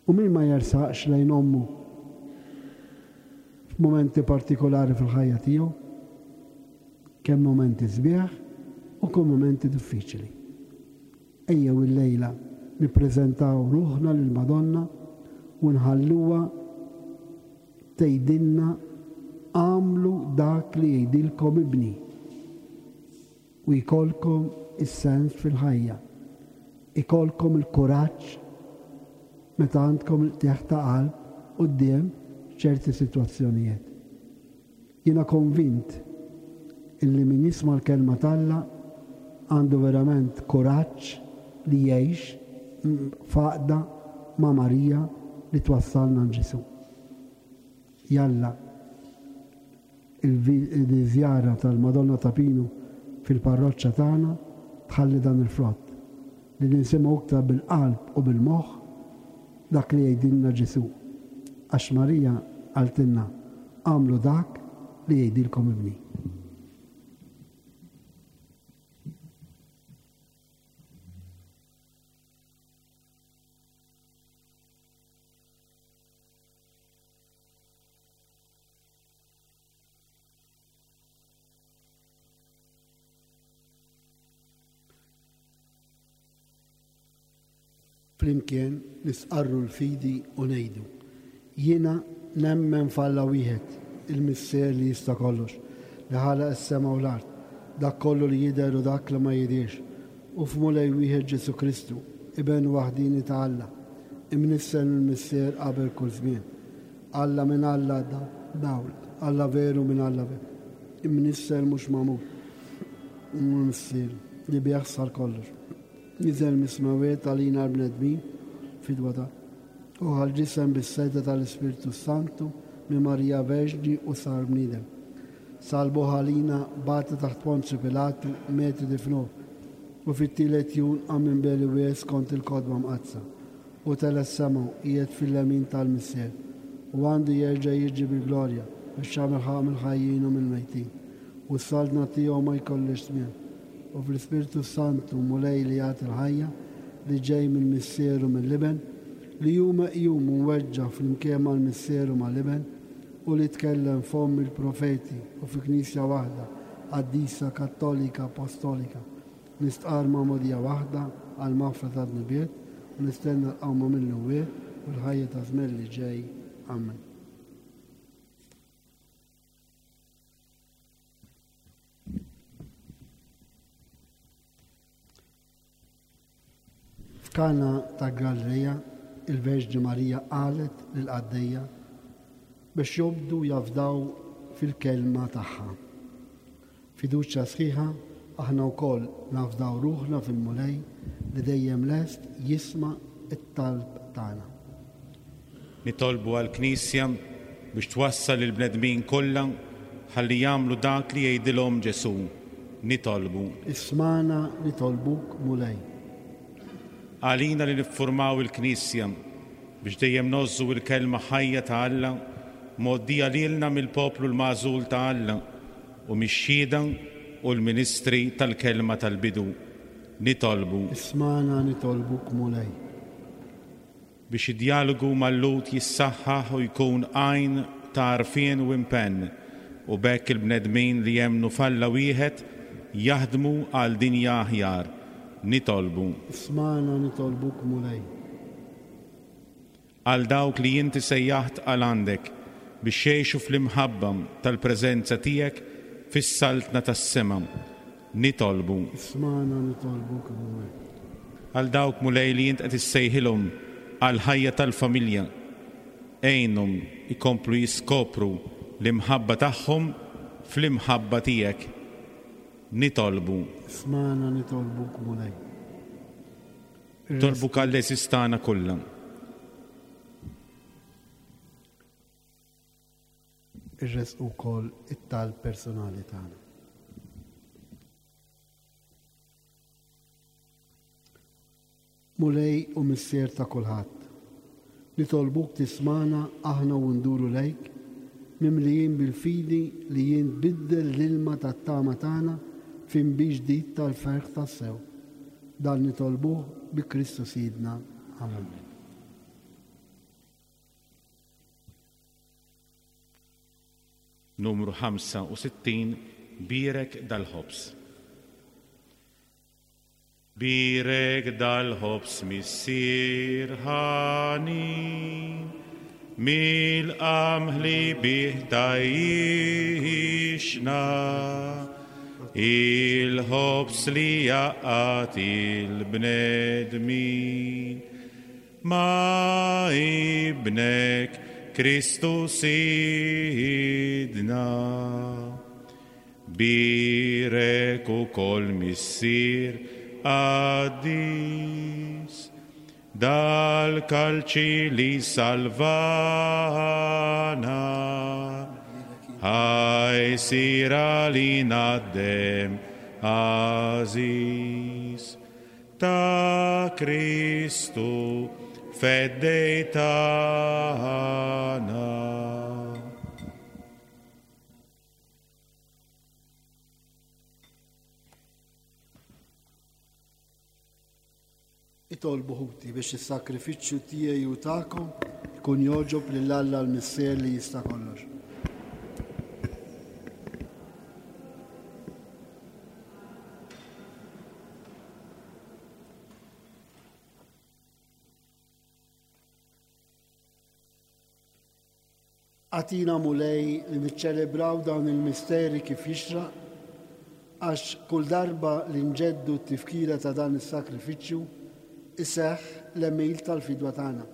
U min ma jersaqx lejn ommu f'mumenti partikolari fil-ħajja tiegħu, kemm mumenti sbieħ u kemm mumenti diffiċli. Ejjew illejla nippreżentaw ruħna lill-Madonna u nħalluha tgħidilna għamlu dak li jgħidilkom ibni u jkollkom is-sens fil-ħajja. Ikolkom il-kuraġġ meta għandkom il-qtigħ ta' qalb quddiem ċerti sitwazzjonijiet. Jiena konvint illi min jisma' l-kelma t'Alla għandu verament kuraġġ li jgħix f'għaqda ma' Marija li twassalna għand Ġesù. Jalla il-żjara tal-Madonna ta' Pinu fil-parroċċa tagħna tħalli dan il-frott li ninsimgħu iktar bil-qalb u bil-moħħ dak li jgħidilna Ġesù. Għax Marija qaltilna għamlu dak li jgħidilkom ibni. Flimkien nisqarru l-fidi u ngħidu. Jiena nemmen f'Alla wieħed, il-Missier li jista' kollox, li ħalaq is-sema u l-art, dak kollu li jidher u dak li ma jidhirx, u f'Mulej wieħed Ġesù Kristu, iben waħdini ta' Alla, imnissel mill-Missier qabel kull żmien. Alla minn Alla dawl, Alla veru minn Alla veru, imnissel mhux magħmul, mill-Missier li bih sar kollox. Niżel mis-smawiet għalina l-bnedmin fidwa ta' u ħal-ġisem bis-sejda tal-Ispirtu Santu minn Marija Verġni u sar bniedem. Salbu ħalina bata taħt Ponzju Pilatu miet difnuh u fit-tielet jum qam minn beli wies kont il-Kotba Mqaddsa u tela' s-sema qiegħed fil-lemin tal-Missier u għandu jerġa' jiġi bil-glorja biex jagħmel ħaqq mill-ħajjin u mill-mejtin u s-saltna tiegħu ma jkollix tmiem. U fl-Ispirtu Santu Mulej li jagħti l-ħajja li ġej mill-Missier u mill-Iben li hu meqjum u mweġġa' flimkien mal-Missier u mal-Iben u li tkellem fomm il-profeti u fi Knisja waħda, qaddisa, kattolika, apostolika, nistqar magħmudija waħda għal maħfra ta' dnubiet u nistenna l-qawma mill-imwiet u l-ħajja ta' żmien li ġej. Amen. F'Kana ta' Galilea, il-Verġni Marija qalet lill-qaddejja biex jobdu jafdaw fil-kelma tagħha. Fiduċja sħiħa aħna wkoll nafdaw ruħna fil-Mulej li dejjem lest jisma' it-talb tagħna. Nitolbu għall-Knisja biex twassal lill-bnedmin kollha ħalli jagħmlu dak li jgħidilhom Ġesù. Nitolbu. Ismana nitolbuk Mulej. Għalina li niffurmaw il-Knisja biex dejjem nożżu il-kelma ħajja ta' Alla mgħoddija lilna mill-poplu l-magħżul ta' Alla u mix-xhieda u l-ministri tal-kelma tal-bidu. Nitolbu. Ismana nitolbuk Mulej. Biex id-dialogu mal-Lhud jissaħħaħ u jkun għajn ta' għarfien u impenn u b'hekk il-bnedmin li jemmnu f'Alla wieħed jaħdmu għal dinja aħjar. Nitolbu. Ismana nitolbuk Mulej. Għal dawk li inti sejjaħt għal għandek biex jgħixu fl-imħabba tal-preżenza tiegħek fis-saltna tas-sema. Nitolbu. Ismana nitolbuk Mulej. Għal dawk Mulej li int qed issejħilhom għal ħajja tal-familja, għinhom ikomplu jiskopru l-imħabba tagħhom fl-imħabba tiegħek. Nitolbu. Ismana nitolbuk Mulej. Nitolbuk għall-għeżież tagħna kollha. Irresqu wkoll it-talb personali tagħna. Mulej u Missier ta' kulħadd, nitolbuk tismana aħna u nduru lejk, mimlijin bil-fidi li jien tbiddel l-ilma tat-tama tagħna f'inbid ġdid tal-ferħ tassew. Dan nitolbuh bi Kristu Sidna. Amen. Numru ħamsa u sittin, Bierek dal-ħobż. Bierek dal-ħobż Missier ħanin, mill-qamħ li bih tgħixna, il-ħobż li jaqgħad il-bnedmin, ma' ibnek Kristu Sidna. Bierek ukoll Missier qaddis, dal-kalċi li salvana, ħa jsir għalina d-demm għażiż ta' Kristu feddej tagħna. Itolbu ħuti biex is-sakrifiċċju tiegħi u tagħkom ikun jogħġob lil Alla l-Missier li jista' kollox. Agħtina Mulej li niċċelebraw dawn il-misteri kif jixraq, għax kull darba li nġeddu t-tifkira ta' dan is-sakrifiċċju iseħħ l-għemil tal-fidwa tagħna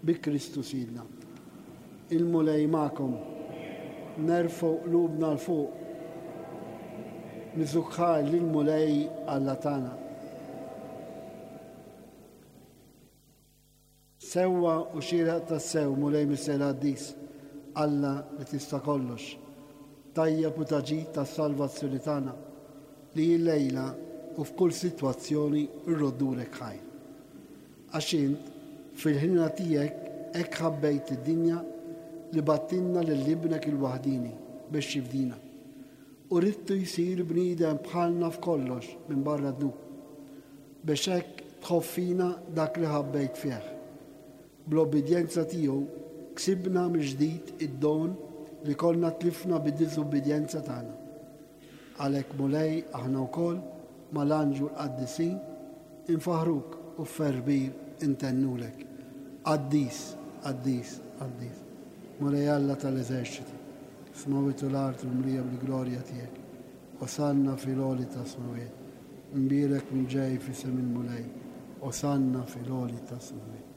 bi Kristu Sidna. Il-Mulej magħkom, nerfgħu qlubna 'l fuq, niżukħar lill-Mulej Alla tagħna. Sewwa u xieraq tassew, Mulej Missier Qaddis, Alla li tista' kollox, tajjeb u taġid tas-salvazzjoni tagħna, li llejla u f'kull sitwazzjoni rroddulek ħajr. Għax int fil-ħnina tiegħek hekk ħabbejt id-dinja li battilna lil ibnek il-waħdini biex jifdina. U ridtu jsir bniedem bħalna f'kollox minn barra dnub, biex hekk tħobb fina dak li ħabbejt fih. Bl-obbedjenza tiegħu ksibna mill-ġdid id-don li konna tlifna bid-diżubbidjenza tagħna. Għalhekk Mulej aħna wkoll mal-anġlu l-qaddisin infaħruk u ferbir intennulek. Qaddis, qaddis, qaddis. Mulej Alla tal-eżerċiti, smawit u l-art u mlija bil-glorja tiegħek. Osanna fil-għoli ta' smawiet. Imbierek min ġej f'isem il-Mulej. Osanna fil-għoli ta' smawiet.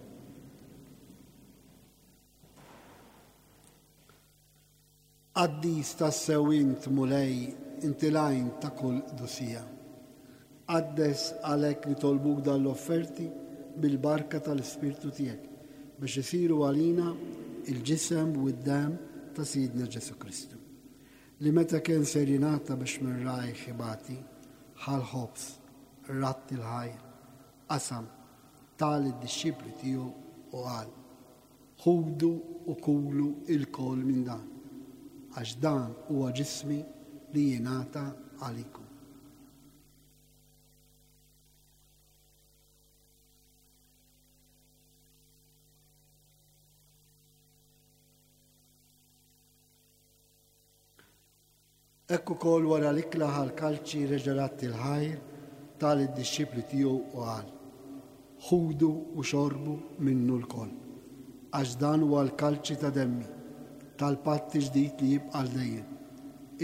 Qaddis tassew int, Mulej, inti l-għajn ta' kull qdusija. Qaddes għalhekk nitolbuk dan l-offerti bil-barka tal-Ispirtu tiegħek biex isiru għalina il-ġisem u d-demm ta' Sidna Ġesu Kristu. Li meta kien ser jingħata biex minn rajh ibati, ħa l-ħobż, ratt il-ħajr, qasam, ta lid-dixxipli tiegħu u qal: Ħudu u kulu ilkoll minn dan, għax dan huwa ġismi li jingħata għalikom. Hekk ukoll wara l-ikla ħal-kalċi reġa' ratt il-ħajr ta lid-dixxipli tiegħu u qal: Ħudu u xorbu minnu lkoll, għax dan huwa l-kalċi ta' demmi, tal-patt ġdid li jibqa' għal dejjem,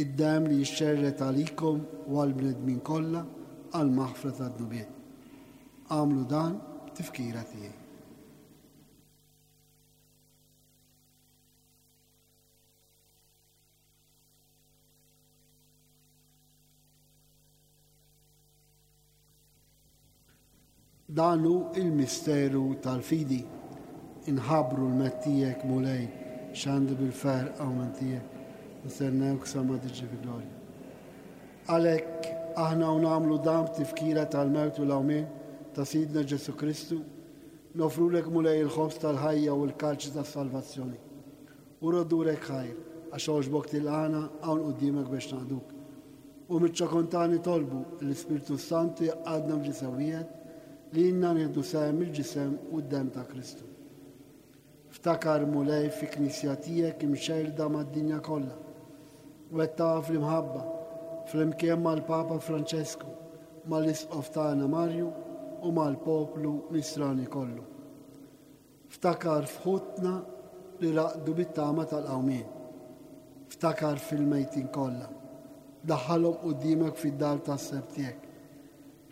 id-demm li jixxerred għalikom u għall-bnedmin kollha għall-maħfra tad-dnubiet. Agħmlu dan b'tifkira tiegħi. Dan hu il-misteru tal-fidi. Inħabbru l-mewt tiegħek, Mulej, xandi bil-ferħ qawmien tiegħek. Nistennewk sa ma tiġi fi glorja. Għalhekk aħna u nagħmlu dan b'tifkira tal-mewt u l-qawmien ta' Sidna Ġesu Kristu, nofrulek Mulej il-ħobż tal-ħajja u l-kalċi tas-salvazzjoni. U roddurek ħajr, għax għoġbok tilqana hawn quddiemek biex naqduk. U miċ-ċokon tagħna nitolbu l-Ispirtu Santu jgħaqqadna f'ġisem wieħed li jgħinna nieħdu sehem il-ġisem u d-demm ta' Kristu. Ftakar Mulej fi knisja tiegħek imxerda mad-dinja kollha. Wettaqha fl-imħabba, flimkien mal-Papa Francesku, mal-Isqof tagħna Marju u mal-poplu nisrani kollu. Ftakar f'ħutna li raqdu bit-tama tal-qawmien. Ftakar fil-mejtin kollha. Daħħalhom quddiemek fid-dar tas-sebħ tiegħek.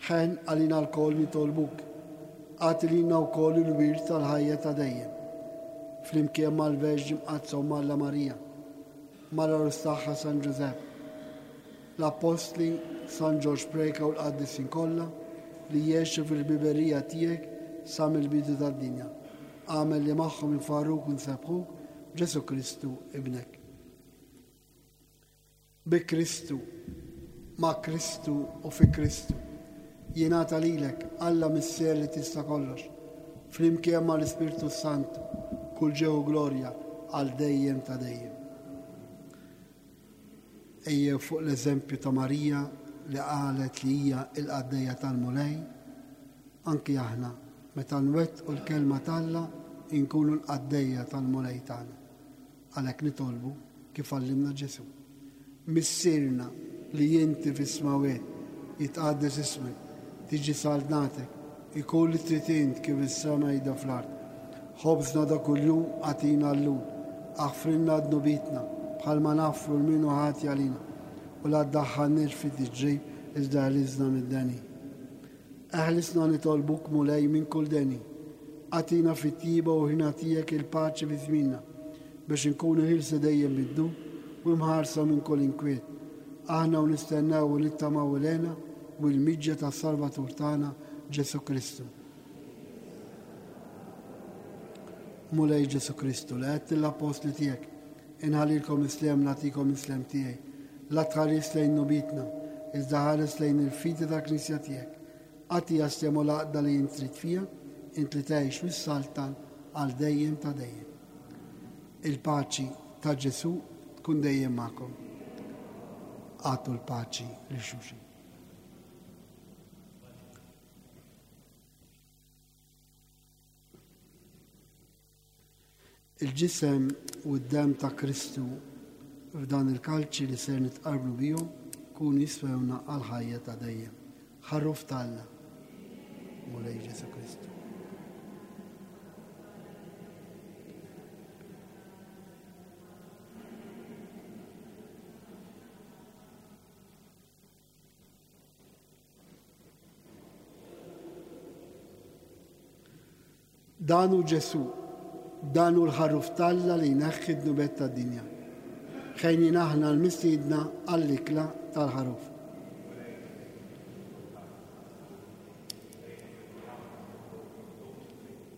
Ħen għalina lkoll nitolbuk. Agħti lilna wkoll il-wirt tal-ħajja ta' dejjem. Flimkien mal-Verġni Mqaddsa u Alla Marija, mal-għarus tagħha San Ġużepp, l-Appostli San Ġorġ Preca u l-qaddisin kollha li jgħixu fil-biberija tiegħek sa mill-bidu tad-dinja. Agħmel li magħhom infarruk u nsebbħuk Ġesu Kristu ibnek. Bi Kristu, ma' Kristu u fi Kristu, jingħata lilek Alla Missier li tista' kollox, flimkien mal-Ispirtu Santu, kull ġieħ u glorja għal dejjem ta' dejjem. Ejjew fuq l-eżempju ta' Marija li qalet li hija il-qaddejja tal-Mulej, anki aħna meta nwettqu l-kelma t'Alla inkunu l-qaddejja tal-Mulej tagħna. Għalhekk nitolbu kif għallimna Ġesu. Missierna li inti fis-smawwiet, jitqaddes ismek, tiġi saltnatek, ikun li trid int kif is-sema jida fl-art. Ħobżna ta' kuljum agħtina llum, aħfrilna dnubietna bħalma naħfru lil min hu ħati għalina, u la ddaħħalniex fi tiġrib iżda eħlisna mid-deni. Eħlisna nitolbuk Mulej minn kull deni. Agħtina fit-tjieba u ħniena tiegħek il-paċi fi żmienna, biex inkunu ħielsa dejjem mid-dnub u mħarsa minn kull inkwiet. Aħna u nistennew u nittamaw l-hena u l-miġja tas-Salvatur tagħna Ġesu Kristu. Mulej Ġesu Kristu, li għedt l-appostli tiegħek, inħallilkom is-sliem nagħtikom is-sliem tiegħi. La tħares lejn dnubietna, iżda ħares lejn il-fidi tal-Knisja tiegħek. Agħtiha s-sliem u l-għaqda li int trid fiha, int li tgħix u ssaltan għal dejjem ta' dejjem. Il-paċi ta' Ġesu tkun dejjem magħkom. Agħtu l-paċi lil xulxin. Il-ġisem u d-dem ta' Kristu f'dan il-kalċi li ser nitqarbnu bihom kun jiswewna għal-ħajja ta' dejjem. Ħaruf t'Alla, Mulej Ġesu Kristu. Dan hu Ġesu, dan hu l-ħaruf t'Alla li jneħħi d-dnubiet tad-dinja. Ħejnin aħna l-mistiedna għall-ikla tal-ħaruf.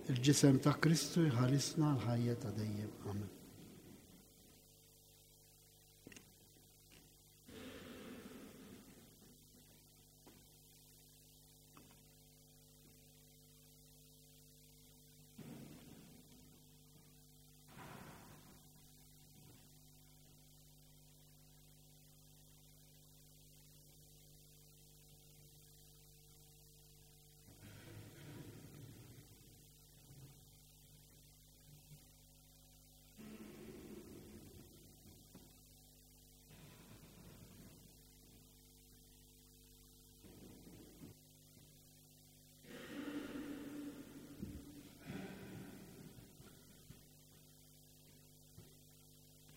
Il-ġisem ta' Kristu jħarisna l-ħajja ta' dejjem. Amen.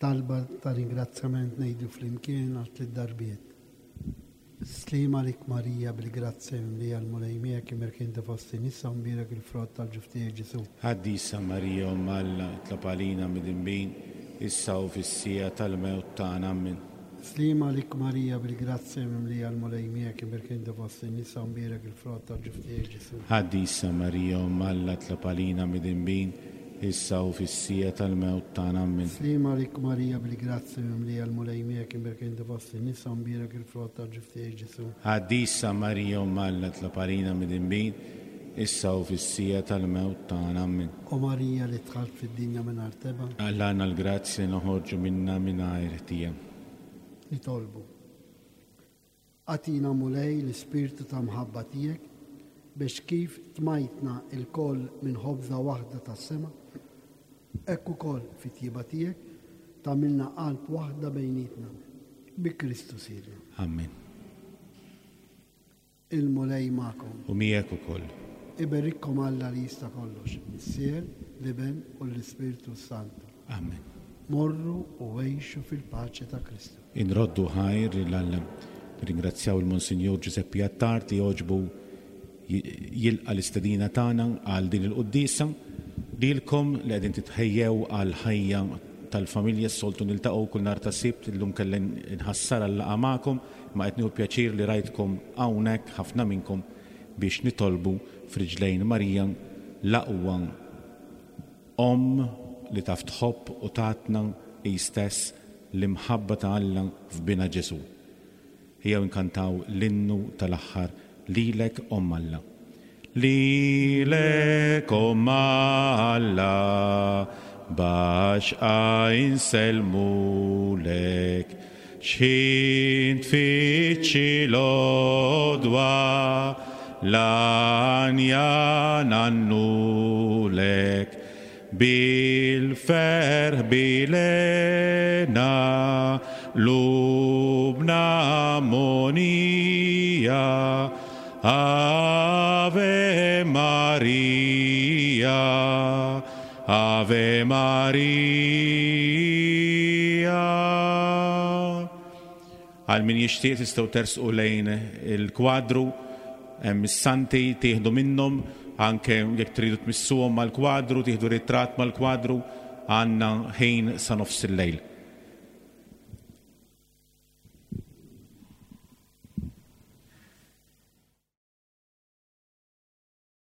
Talba ta' ringrazzjament ngħidu flimkien għal tliet darbiet. Sliem għalik Marija bil-grazzja mimlija l-Mulej miegħek, imbierka inti fost in-nisa u mbierek il-frott tal-ġuf tiegħek Ġesu. Qaddisa Marija Omm Alla, itlob għalina midinbin, issa u fis-siegħa tal-mewt tagħna. Amen. Sliem għalik Marija bil-grazzja mimlija l-Mulej miegħek, imbierka inti fost in-nisa u mbierek il-frott tal-ġuf tiegħek Ġesu. Qaddisa Marija Omm Alla, itlob għalina midinbin, issa u fis-siegħa tal-mewt tagħna. Amen. Sliem għalik Marija bil-grazzja mimlija l-Mulej miegħek, imbierka inti fost in-nisa u mbierek il-frott tal-ġuf tiegħek Ġesu. Qaddisa Marija Omm Alla, itlob għalina midinbin, issa u fis-siegħa tal-mewt tagħna. Amen. O Marija li dħalt fid-dinja mingħajr tebgħa, Agħlana l-grazzja noħorġu minna mingħajr ħtija. Nitolbu. Agħtina, Mulej, l-ispirtu ta' mħabba tiegħek biex kif tmajtna lkoll minn ħobża waħda tas-sema, hekk ukoll fit-tjieba tiegħek tagħmilna qalb waħda bejnietna. Bi Kristu Sidna. Amen. Il-Mulej magħkom. U miegħek ukoll. Iberikkom Alla li jista' kollox, Missier, l-Iben u l-Ispirtu Santu. Amen. Morru u għixu fil-paċi ta' Kristu. Inroddu ħajr lil Alla. Ringrazzjaw il-Monsinjur Giuseppe Attard li għoġbu jilqa l-istedina tagħna għal din il-quddiesa. Lilkom li qegħdin titħejjew għal ħajja tal-familja, s-soltu niltaqgħu kull nhar ta' Sibt, illum kelli nħassar għal-laqgħa magħkom, ma qed nieħu pjaċir li rajtkom hawnhekk ħafna minnkom biex nitolbu f'riġlejn Marija, l-aqwa omm li taf tħobb u tatna hi stess l-imħabba ta' Alla f'bina Ġesù. Ejjew inkantaw l-innu tal-aħħar, Lilek Omm Alla. Lilek Omm Alla, b'għaxqa insellmulek, x'ħin tfittxi l-għodwa, l-għanja ngħannulek, bil-ferħ bilhena, qlubna mogħnija, Ave Maria, Ave Maria. Għal min jixtieq tistgħu tersqu lejn il-kwadru, hemm is-santi tieħdu minnhom, anke jekk tridu tmissuhom mal-kwadru, tieħdu ritratt mal-kwadru, għandna ħin sa nofs il-lejl.